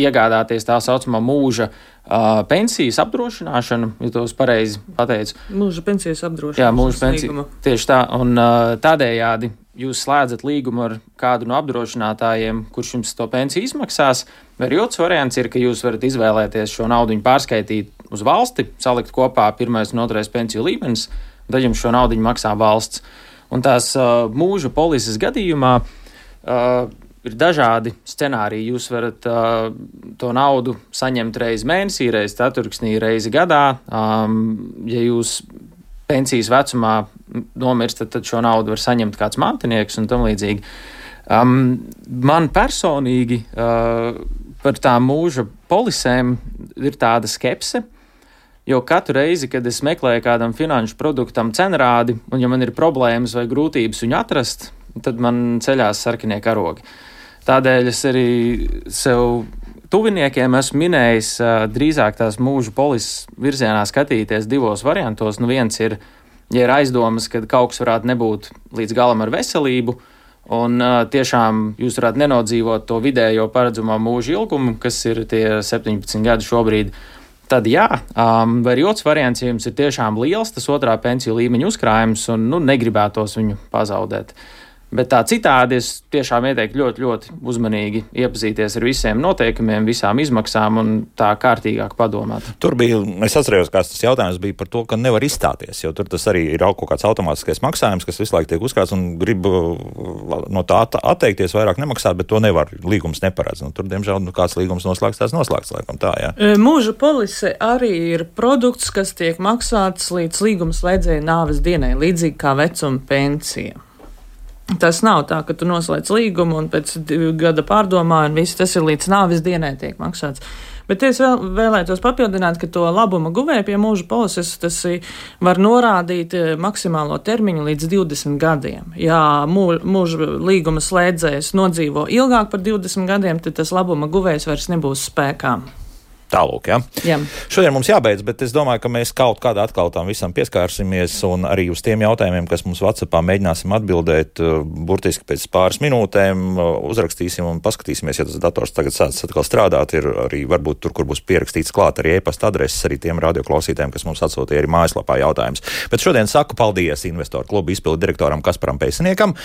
iegādāties tā saucamā mūža uh, pensijas apdrošināšanu, ja tos pareizi pateicu. Mūža pensijas apdrošināšanu. Jā, mūža pensija. Tieši tā. Un uh, tādējādi jūs slēdzat līgumu ar kādu no apdrošinātājiem, kurš jums to pensiju izmaksās. Vai arī otrs variants ir, ka jūs varat izvēlēties šo naudiņu pārskaitīt uz valsti, salikt kopā pirmais un otrais pensiju līmenis, tad jums šo naudiņu maksā valsts. Un tās uh, mūža polises gadījumā uh, ir dažādi scenāriji. Jūs varat uh, to naudu saņemt reizi mēnesī, reizi ceturksnī, reizi gadā. Um, ja jūs pensijas vecumā nomirstat, tad šo naudu var saņemt kāds mantinieks un tam līdzīgi. Um, man personīgi uh, par tām mūža polisēm ir tāda skepse, jo katru reizi, kad es meklēju kādam finanšu produktam cenrādi, un ja man ir problēmas vai grūtības viņu atrast, tad man ceļās sarkanie karogi. Tādēļ es arī sev tuviniekiem esmu minējis drīzāk tās mūža polises virzienā skatīties divos variantos. Nu, viens ir, ja ir aizdomas, ka kaut kas varētu nebūt līdz galam ar veselību, un tiešām jūs varētu nenodzīvot to vidējo paredzamo mūža ilgumu, kas ir tie septiņpadsmit gadi šobrīd, tad jā, um, vai arī otrs variants, ja jums ir tiešām liels tas otrā pensiju līmeņa uzkrājums un nu, negribētos viņu pazaudēt. Bet tā citādi es tiešām ieteiktu ļoti, ļoti uzmanīgi iepazīties ar visiem noteikumiem, visām izmaksām un tā kārtīgāk padomāt. Tur bija, es atcerējos, kāds tas jautājums bija par to, ka nevar izstāties, jo tur tas arī ir kaut kāds automātiskais maksājums, kas visu laiku tiek uzkrāts un grib no tā atteikties, vairāk nemaksāt, bet to nevar, līgums neparedz. Nu, tur, diemžēl, nu, kāds līgums noslēgts, tās noslēgts, laikam tā, jā. Mūža polise arī ir produkts, kas tiek maksāts līdz līguma slēdzēja nāves dienai, līdzīgi kā vecuma pensija. Tas nav tā, ka tu noslēdz līgumu un pēc gada pārdomā un viss tas ir līdz nāves dienai tiek maksāts. Bet es vēl vēlētos papildināt, ka to labuma guvēja pie mūža polises tas var norādīt maksimālo termiņu līdz divdesmit gadiem. Ja mūža līguma slēdzējs nodzīvo ilgāk par divdesmit gadiem, tad tas labuma guvējs vairs nebūs spēkā. Tālūk, ja? Jā. Šodien mums jābeidz, bet es domāju, ka mēs kaut kādā atkal tam visam pieskārsimies un arī uz tiem jautājumiem, kas mums WhatsAppā mēģināsim atbildēt, burtiski pēc pāris minūtēm uzrakstīsim un paskatīsimies, ja tas dators tagad sāc atkal strādāt, ir arī varbūt tur, kur būs pierakstīts klāt arī e-pasta adreses, arī tiem radioklausītājiem, kas mums atsūtīja arī mājaslapā jautājums. Bet šodien saku paldies Investoru klubu izpildu direktoram Kasparam Peisiniekam,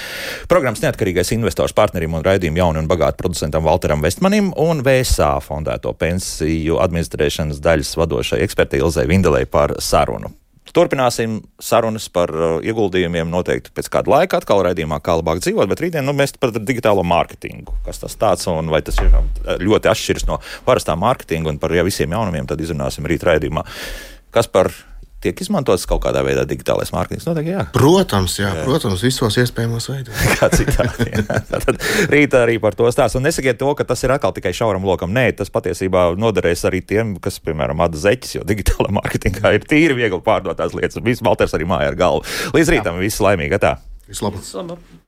programmas neatkarīgais investors partnerim un raidījumu jaunu un bagātu producentam Valteram Vestmanim un V S A fondēto pensiju administrēšanas daļas vadošai ekspertei Ilzei Vindelei par sarunu. Turpināsim sarunas par uh, ieguldījumiem noteikti pēc kāda laika atkal raidījumā, kā labāk dzīvot, bet rītdien nu, mēs par digitālo mārketingu, kas tas tāds un vai tas ir ļoti atšķirs no parastā mārketinga un par ja, visiem jaunumiem tad izrunāsim rīt raidījumā. Kas par tiek izmantots kaut kādā veidā digitālais mārketings? Noteikti, jā. Protams, jā, jā. Protams, visos iespējamos veidos. Kā citādi. Tad rīt arī par to stāst. Un nesakiet to, ka tas ir atkal tikai šauram lokam. Nē, tas patiesībā noderēs arī tiem, kas, piemēram, āda zeķis, jo digitālā mārketingā ir tīri viegli pārdotās lietas. Viss Valters arī mājā ar galvu. Līdz rītam viss laimīgi, tā. Vislabāk. Vislabāk.